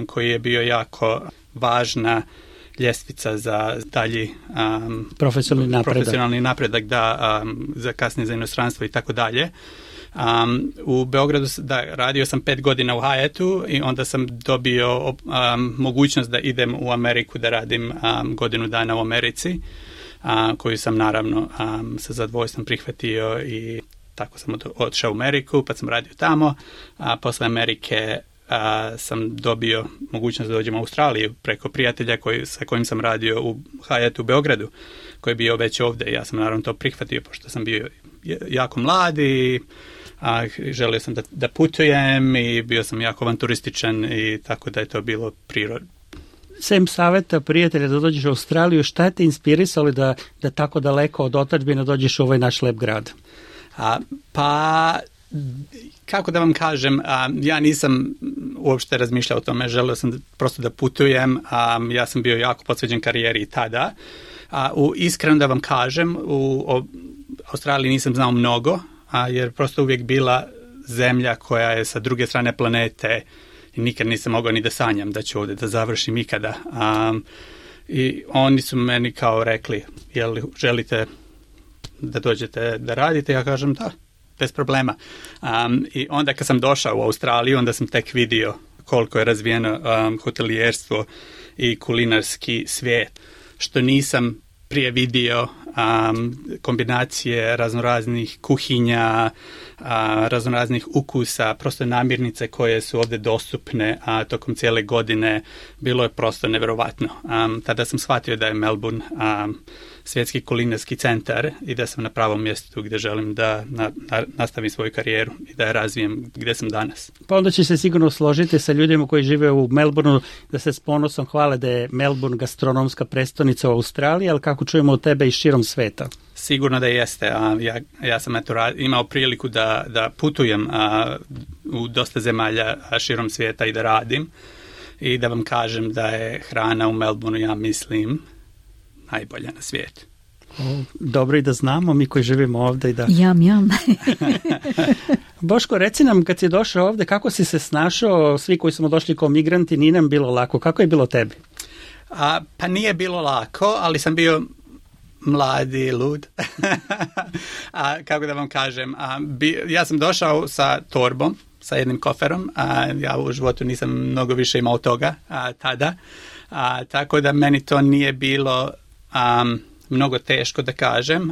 koji je jako važna ljestvica za dalji profesionalni napredak, za kasnije za inostranstvo i tako dalje. U Beogradu radio sam 5 godina u Hyattu i onda sam dobio mogućnost da idem u Ameriku da radim godinu dana u Americi, koju sam naravno sa zadovoljstvom prihvatio i tako sam otišao u Ameriku, pa sam radio tamo, a posle Amerike sam dobio mogućnost da dođem u Australiju preko prijatelja sa kojim sam radio u Hyattu u Beogradu, koji je bio već ovdje. Ja sam naravno to prihvatio, pošto sam bio jako mlad i želio sam da putujem i bio sam jako avanturističan i tako da je to bilo prirodno. Sem saveta prijatelja da dođeš u Australiju, šta je te inspirisalo da tako daleko od otadžbine dođeš u ovaj naš lep grad? Pa kako da vam kažem, ja nisam uopšte razmišljao o tome, želeo sam prosto da putujem, ja sam bio jako posvećen karijeri tada. Iskreno da vam kažem, u Australiji nisam znao mnogo, jer prosto uvijek bila zemlja koja je sa druge strane planete i nikad nisam mogao ni da sanjam da ću ovdje da završim ikada. I oni su meni kao rekli, jel želite da dođete da radite? Ja kažem da, bez problema. I onda kad sam došao u Australiju, onda sam tek vidio koliko je razvijeno hotelijerstvo i kulinarski svijet, što nisam prije vidio, kombinacije raznoraznih kuhinja, raznoraznih ukusa, prosto namirnice koje su ovdje dostupne tokom cijele godine. Bilo je prosto nevjerovatno. Tada sam shvatio da je Melbourne svjetski kulinarski centar i da sam na pravom mjestu gdje želim da nastavim svoju karijeru i da je razvijem gdje sam danas. Pa onda će se sigurno složiti sa ljudima koji žive u Melbourneu da se s ponosom hvale da je Melbourne gastronomska prestolnica u Australiji, ali kako čujemo od tebe i širom sveta. Sigurno da jeste. Ja sam imao priliku da putujem u dosta zemalja širom svijeta i da radim i da vam kažem da je hrana u Melbourneu, ja mislim, najbolja na svijetu. Dobro i da znamo, mi koji živimo ovdje. Jam. Boško, reci nam, kad si došao ovdje, kako si se snašao? Svi koji smo došli kao migranti, nije nam bilo lako. Kako je bilo tebi? Pa nije bilo lako, ali sam bio mladi, lud. Kako da vam kažem, ja sam došao sa torbom, sa jednim koferom, ja u životu nisam mnogo više imao toga tada, tako da meni to nije bilo mnogo teško da kažem,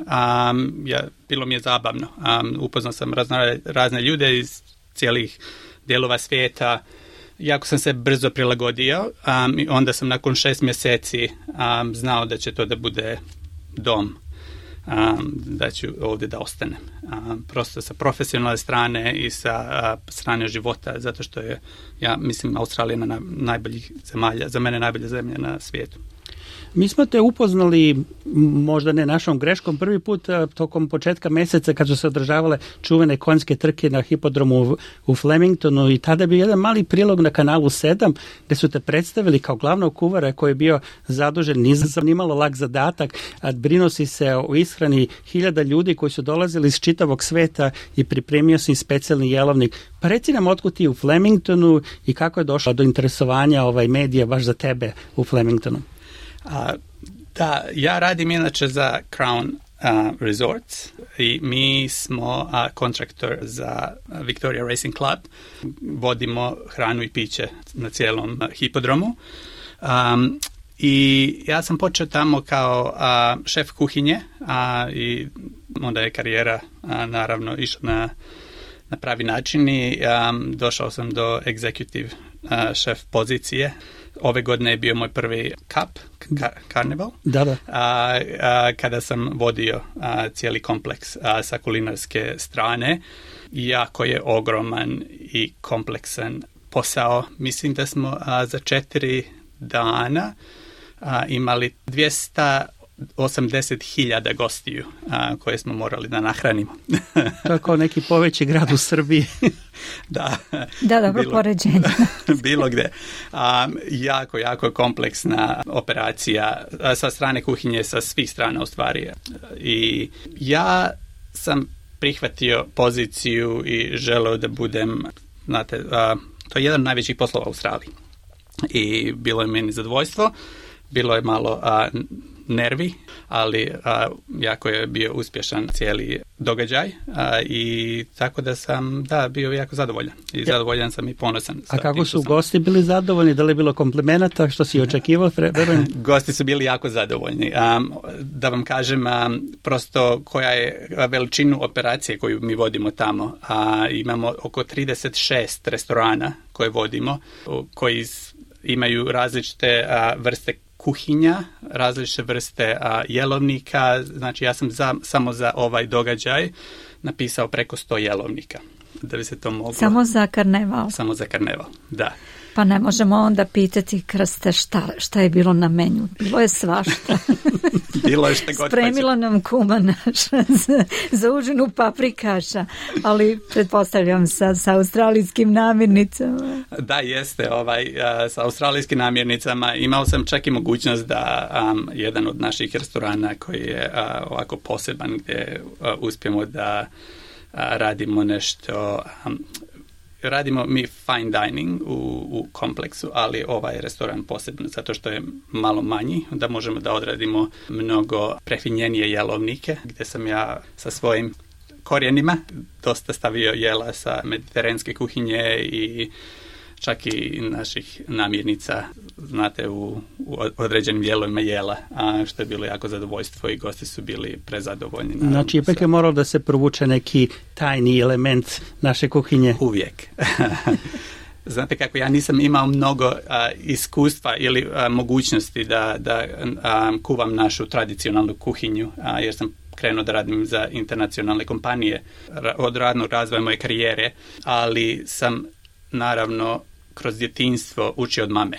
bilo mi je zabavno. Upoznao sam razne ljude iz cijelih dijelova svijeta, jako sam se brzo prilagodio i onda sam nakon 6 mjeseci znao da će to da bude dom, da ću ovdje da ostanem. Prosto sa profesionalne strane i sa strane života, zato što je, ja mislim, Australija na najboljih zemalja, za mene najbolja zemlja na svijetu. Mi smo te upoznali, možda ne našom greškom, prvi put tokom početka mjeseca kad su se održavale čuvene konjske trke na hipodromu u Flemingtonu i tada je bio jedan mali prilog na kanalu 7 gdje su te predstavili kao glavnog kuvara koji je bio zadužen, nisam nimalo lak zadatak, brinuo si se o ishrani 1000 ljudi koji su dolazili iz čitavog sveta i pripremio si specijalni jelovnik. Pa reci nam otkud ti u Flemingtonu i kako je došlo do interesovanja medija baš za tebe u Flemingtonu? Da, ja radim inače za Crown Resorts i mi smo kontraktor za Victoria Racing Club. Vodimo hranu i piće na cijelom hipodromu. I ja sam počeo tamo kao šef kuhinje i onda je karijera naravno išla na pravi način i došao sam do executive šef pozicije. Ove godine je bio moj prvi karneval, kada sam vodio cijeli kompleks sa kulinarske strane. Jako je ogroman i kompleksan posao. Mislim da smo za 4 dana imali 280.000 gostiju koje smo morali da nahranimo. To je kao neki poveći grad u Srbiji. Da, dobro poređenje. Bilo gdje. Jako kompleksna operacija sa strane kuhinje, sa svih strana u stvari. I ja sam prihvatio poziciju i želeo da budem, znate, to je jedan od najvećih poslova u Australiji. I bilo je meni zadovoljstvo, bilo je malo nervi, ali jako je bio uspješan cijeli događaj i tako da sam bio jako zadovoljan i zadovoljan sam i ponosan. A kako su gosti bili zadovoljni? Da li je bilo komplimenata što si očekivao? Gosti su bili jako zadovoljni. Da vam kažem prosto koja je veličinu operacije koju mi vodimo tamo. Imamo oko 36 restorana koje vodimo, koji imaju različite vrste kuhinja, različite vrste jelovnika. Znači ja sam samo za ovaj događaj napisao preko 100 jelovnika. Da bi se to moglo... Samo za karneval? Samo za karneval, da. Pa ne možemo onda pitati, Krste, šta je bilo na menju. Bilo je svašta. Bilo je šta god. Spremila nam kuma naša za užinu paprikaša, ali pretpostavljam sa australijskim namirnicama. Da, jeste. Sa australijskim namirnicama imao sam čak i mogućnost da jedan od naših restorana koji je ovako poseban, gdje uspijemo da radimo nešto, radimo mi fine dining u kompleksu, ali ovaj restoran posebno zato što je malo manji, da možemo da odradimo mnogo prefinjenije jelovnike, gdje sam ja sa svojim korijenima dosta stavio jela sa mediteranske kuhinje i čak i naših namirnica, znate, u određenim dijelovima jela, što je bilo jako zadovoljstvo i gosti su bili prezadovoljni. Znači, ipak je moralo da se provuče neki tajni element naše kuhinje. Uvijek. Znate kako, ja nisam imao mnogo iskustva ili mogućnosti da kuvam našu tradicionalnu kuhinju, jer sam krenuo da radim za internacionalne kompanije od radnog razvoja moje karijere, ali sam naravno kroz djetinjstvo učio od mame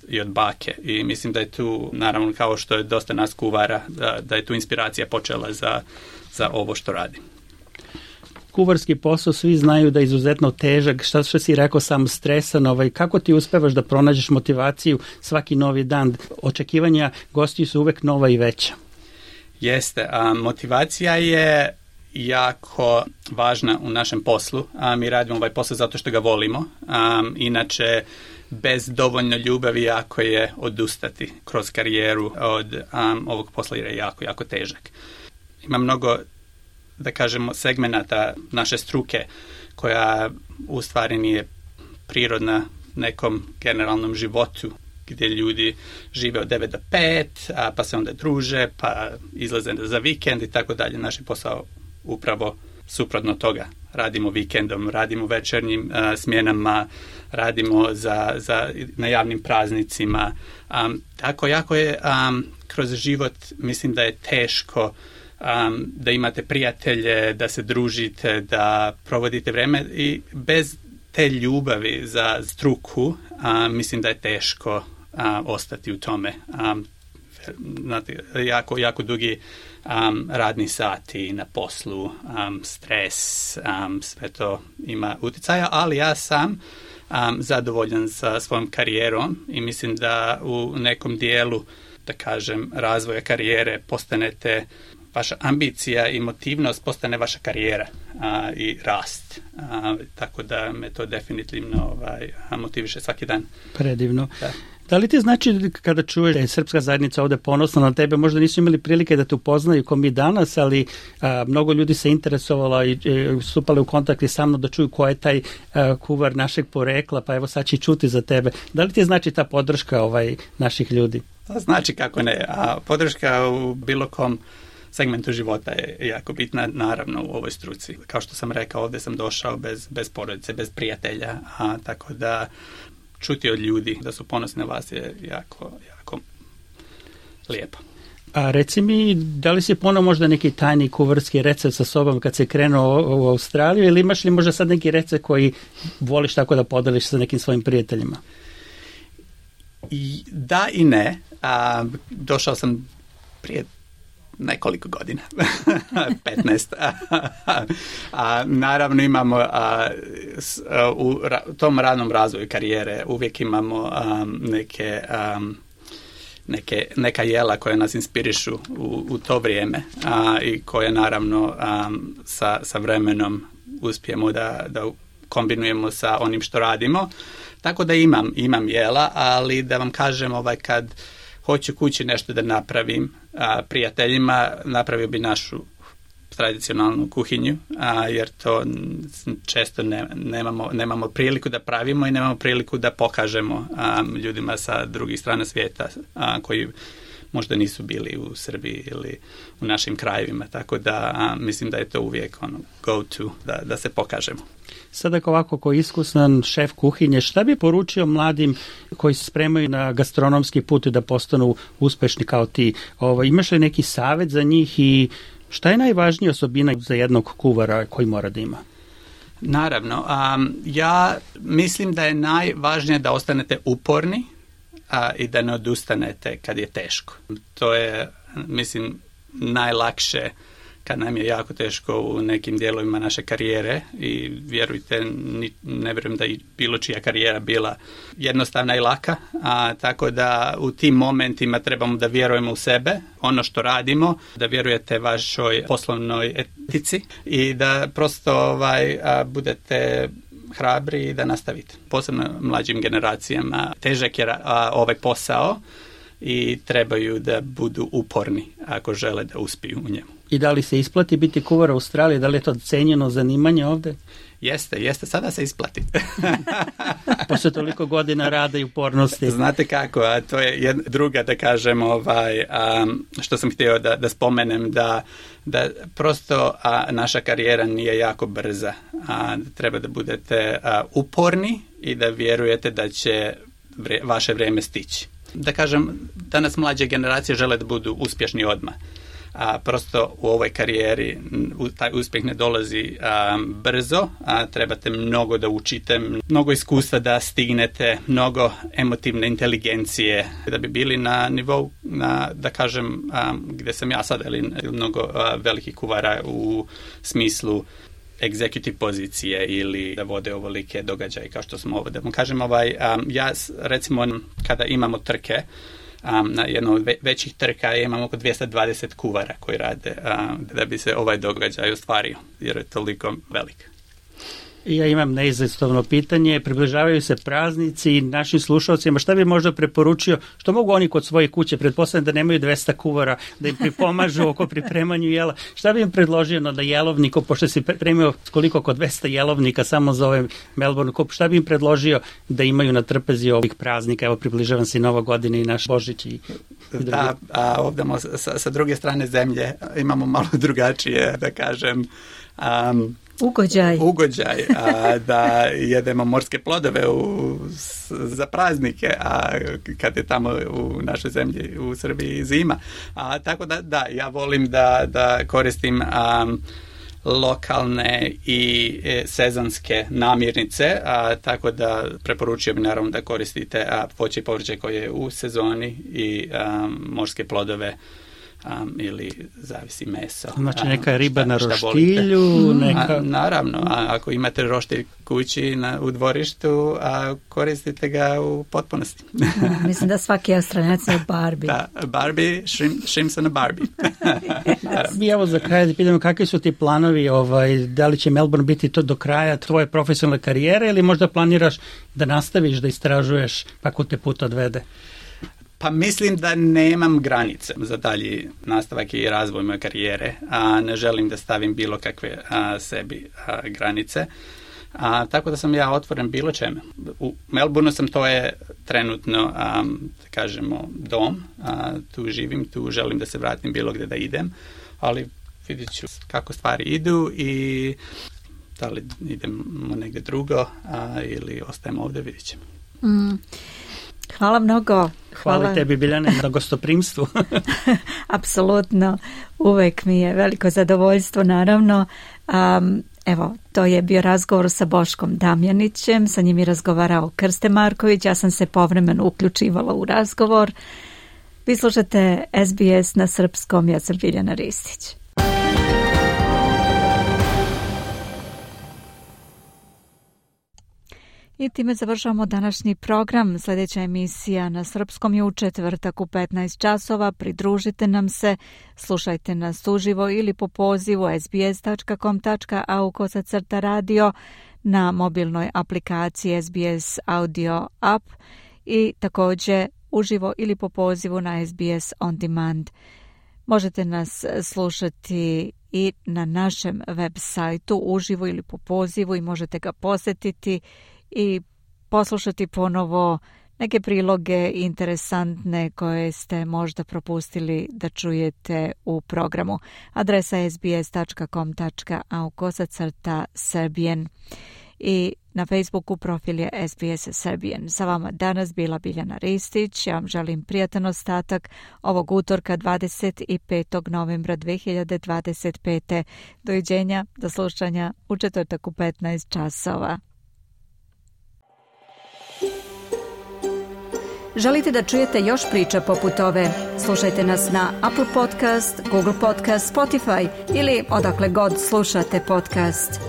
i od bake i mislim da je tu, naravno kao što je dosta nas kuvara, da je tu inspiracija počela za ovo što radim. Kuvarski posao svi znaju da je izuzetno težak, što si rekao, sam stresan, kako ti uspevaš da pronađeš motivaciju svaki novi dan? Očekivanja gostiju su uvek nova i veća. Jeste, motivacija je jako važna u našem poslu. Mi radimo ovaj posao zato što ga volimo. Inače, bez dovoljno ljubavi jako je odustati kroz karijeru od ovog posla jer je jako, jako težak. Ima mnogo, da kažemo, segmenata naše struke koja u stvari nije prirodna nekom generalnom životu gdje ljudi žive od 9 do 5, pa se onda druže, pa izlaze za vikend i tako dalje. Naš je posao upravo suprotno toga. Radimo vikendom, radimo večernjim smjenama, radimo na javnim praznicima. Tako jako je kroz život, mislim da je teško da imate prijatelje, da se družite, da provodite vreme i bez te ljubavi za struku mislim da je teško ostati u tome. Jako, jako dugi radni sati na poslu, stres, sve to ima utjecaja, ali ja sam zadovoljan sa svojom karijerom i mislim da u nekom dijelu, da kažem, razvoja karijere postanete, vaša ambicija i motivnost postane vaša karijera i rast. Tako da me to definitivno motiviše svaki dan. Predivno. Da li ti znači kada čuješ da je srpska zajednica ovdje ponosna na tebe, možda nisu imali prilike da te upoznaju ko mi danas, ali mnogo ljudi se interesovalo i stupali u kontakt i sa mnom da čuju ko je taj kuvar našeg porekla, pa evo sad će čuti za tebe. Da li ti znači ta podrška naših ljudi? Znači kako ne. Podrška u bilo kom segmentu života je jako bitna, naravno u ovoj struci. Kao što sam rekao, ovdje sam došao bez porodice, bez prijatelja, tako da čuti od ljudi da su ponosni na vas je jako, jako lijepo. A reci mi, da li si ponovo možda neki tajni kuvarski recept sa sobom kad se krenuo u Australiju ili imaš li možda sad neki recept koji voliš tako da podeliš sa nekim svojim prijateljima? Da i ne. Došao sam prije nekoliko godina, 15. Naravno imamo u tom radnom razvoju karijere uvijek imamo neka jela koja nas inspirišu u to vrijeme i koje naravno sa vremenom uspijemo da kombinujemo sa onim što radimo. Tako da imam jela, ali da vam kažem kad hoću kući nešto da napravim prijateljima, napravio bi našu tradicionalnu kuhinju, jer to često nemamo priliku da pravimo i nemamo priliku da pokažemo ljudima sa drugih strana svijeta koji možda nisu bili u Srbiji ili u našim krajevima, tako da mislim da je to uvijek go to, da se pokažemo. Sada ovako ko iskusan šef kuhinje, šta bi poručio mladim koji se spremaju na gastronomski put da postanu uspešni kao ti? Imaš li neki savjet za njih i šta je najvažnija osobina za jednog kuvara koji mora da ima? Naravno. Ja mislim da je najvažnije da ostanete uporni i da ne odustanete kad je teško. To je, mislim, najlakše kad nam je jako teško u nekim dijelovima naše karijere i vjerujte, ne vjerujem da je bilo čija karijera bila jednostavna i laka, tako da u tim momentima trebamo da vjerujemo u sebe, ono što radimo, da vjerujete vašoj poslovnoj etici i da prosto budete hrabri i da nastavite. Posebno mlađim generacijama težak je ovaj posao i trebaju da budu uporni ako žele da uspiju u njemu. I da li se isplati biti kuvar u Australiji? Da li je to cenjeno zanimanje ovde? Jeste, sada se isplati. Posle toliko godina rada i upornosti. Znate kako, to je druga, da kažem, što sam htio da spomenem, da prosto naša karijera nije jako brza. Treba da budete uporni i da vjerujete da će vaše vrijeme stići. Da kažem, danas mlađe generacije žele da budu uspješni odmah. Prosto u ovoj karijeri taj uspjeh ne dolazi brzo, trebate mnogo da učite, mnogo iskustva da stignete, mnogo emotivne inteligencije da bi bili na nivou, da kažem, gdje sam ja sad, ali mnogo velikih kuvara u smislu executive pozicije ili da vode ovolike događaje kao što smo ovdje. Kažem, ja recimo kada imamo trke, na jednom od većih trka imamo oko 220 kuvara koji rade da bi se ovaj događaj ostvario, jer je toliko velik. Ja imam neizostavno pitanje, približavaju se praznici našim slušalcima, šta bi možda preporučio, što mogu oni kod svoje kuće, pretpostavljam da nemaju 200 kuvara, da im pripomažu oko pripremanju jela, šta bi im predložio da jelovnik, pošto si pripremio koliko oko 200 jelovnika samo za ovaj Melbourne Cup, šta bi im predložio da imaju na trpezi ovih praznika, evo približavam se i Nova godina i naš Božić i da, ovdje sa druge strane zemlje imamo malo drugačije, da kažem, ugođaj, da jedemo morske plodove za praznike, a kad je tamo u našoj zemlji, u Srbiji, zima. Tako da, ja volim da koristim lokalne i sezonske namirnice, tako da preporučujem naravno da koristite voće i povrće koje je u sezoni i morske plodove, ili zavisi meso. Znači neka riba na roštilju? Naravno, ako imate roštilj kući u dvorištu, koristite ga u potpunosti. Mislim da svaki Australijac je Barbie. Da, Barbie, shrimps on a Barbie. Mi evo za kraj da pitamo kakvi su ti planovi, da li će Melbourne biti to do kraja tvoje profesionalne karijere ili možda planiraš da nastaviš da istražuješ kako te put odvede? Pa mislim da nemam granice za dalji nastavak i razvoj moje karijere, ne želim da stavim bilo kakve sebi granice, tako da sam ja otvoren bilo čemu. U Melbourneu sam, to je trenutno, da kažemo, dom, tu živim, tu želim da se vratim bilo gdje da idem, ali vidjet ću kako stvari idu i da li idemo negdje drugo ili ostajemo ovdje, vidjet ćemo. Hvala mnogo. Hvala tebi, Biljane, na gostoprimstvu. Apsolutno, uvek mi je veliko zadovoljstvo, naravno. Evo, to je bio razgovor sa Boškom Damjanićem, sa njim je razgovarao Krste Marković, ja sam se povremeno uključivala u razgovor. Vi slušate SBS na srpskom, ja sam Biljana Ristić. I time završavamo današnji program. Sljedeća emisija na srpskom je u četvrtak u 15 časova. Pridružite nam se, slušajte nas uživo ili po pozivu sbs.com.au/radio na mobilnoj aplikaciji SBS Audio App i također uživo ili po pozivu na SBS On Demand. Možete nas slušati i na našem web sajtu uživo ili po pozivu i možete ga posjetiti i poslušati ponovo neke priloge interesantne koje ste možda propustili da čujete u programu. Adresa sbs.com.au/Serbian. I Na Facebooku profil je SBS Serbian. Sa vama danas bila Biljana Ristić. Ja vam želim prijatan ostatak ovog utorka 25. novembra 2025. Doviđenja, do slušanja u četvrtak u 15 časova. Želite da čujete još priča poput ove? Slušajte nas na Apple Podcast, Google Podcast, Spotify ili odakle god slušate podcast.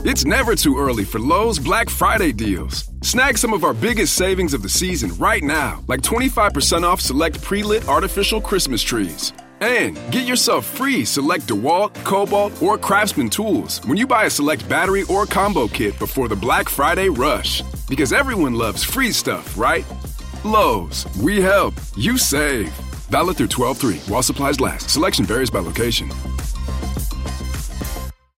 It's never too early for Lowe's Black Friday deals. Snag some of our biggest savings of the season right now, like 25% off select pre-lit artificial Christmas trees. And get yourself free select DeWalt, Cobalt, or Craftsman tools when you buy a select battery or combo kit before the Black Friday rush. Because everyone loves free stuff, right? Lowe's, we help, you save. Valid through 12/3 while supplies last. Selection varies by location.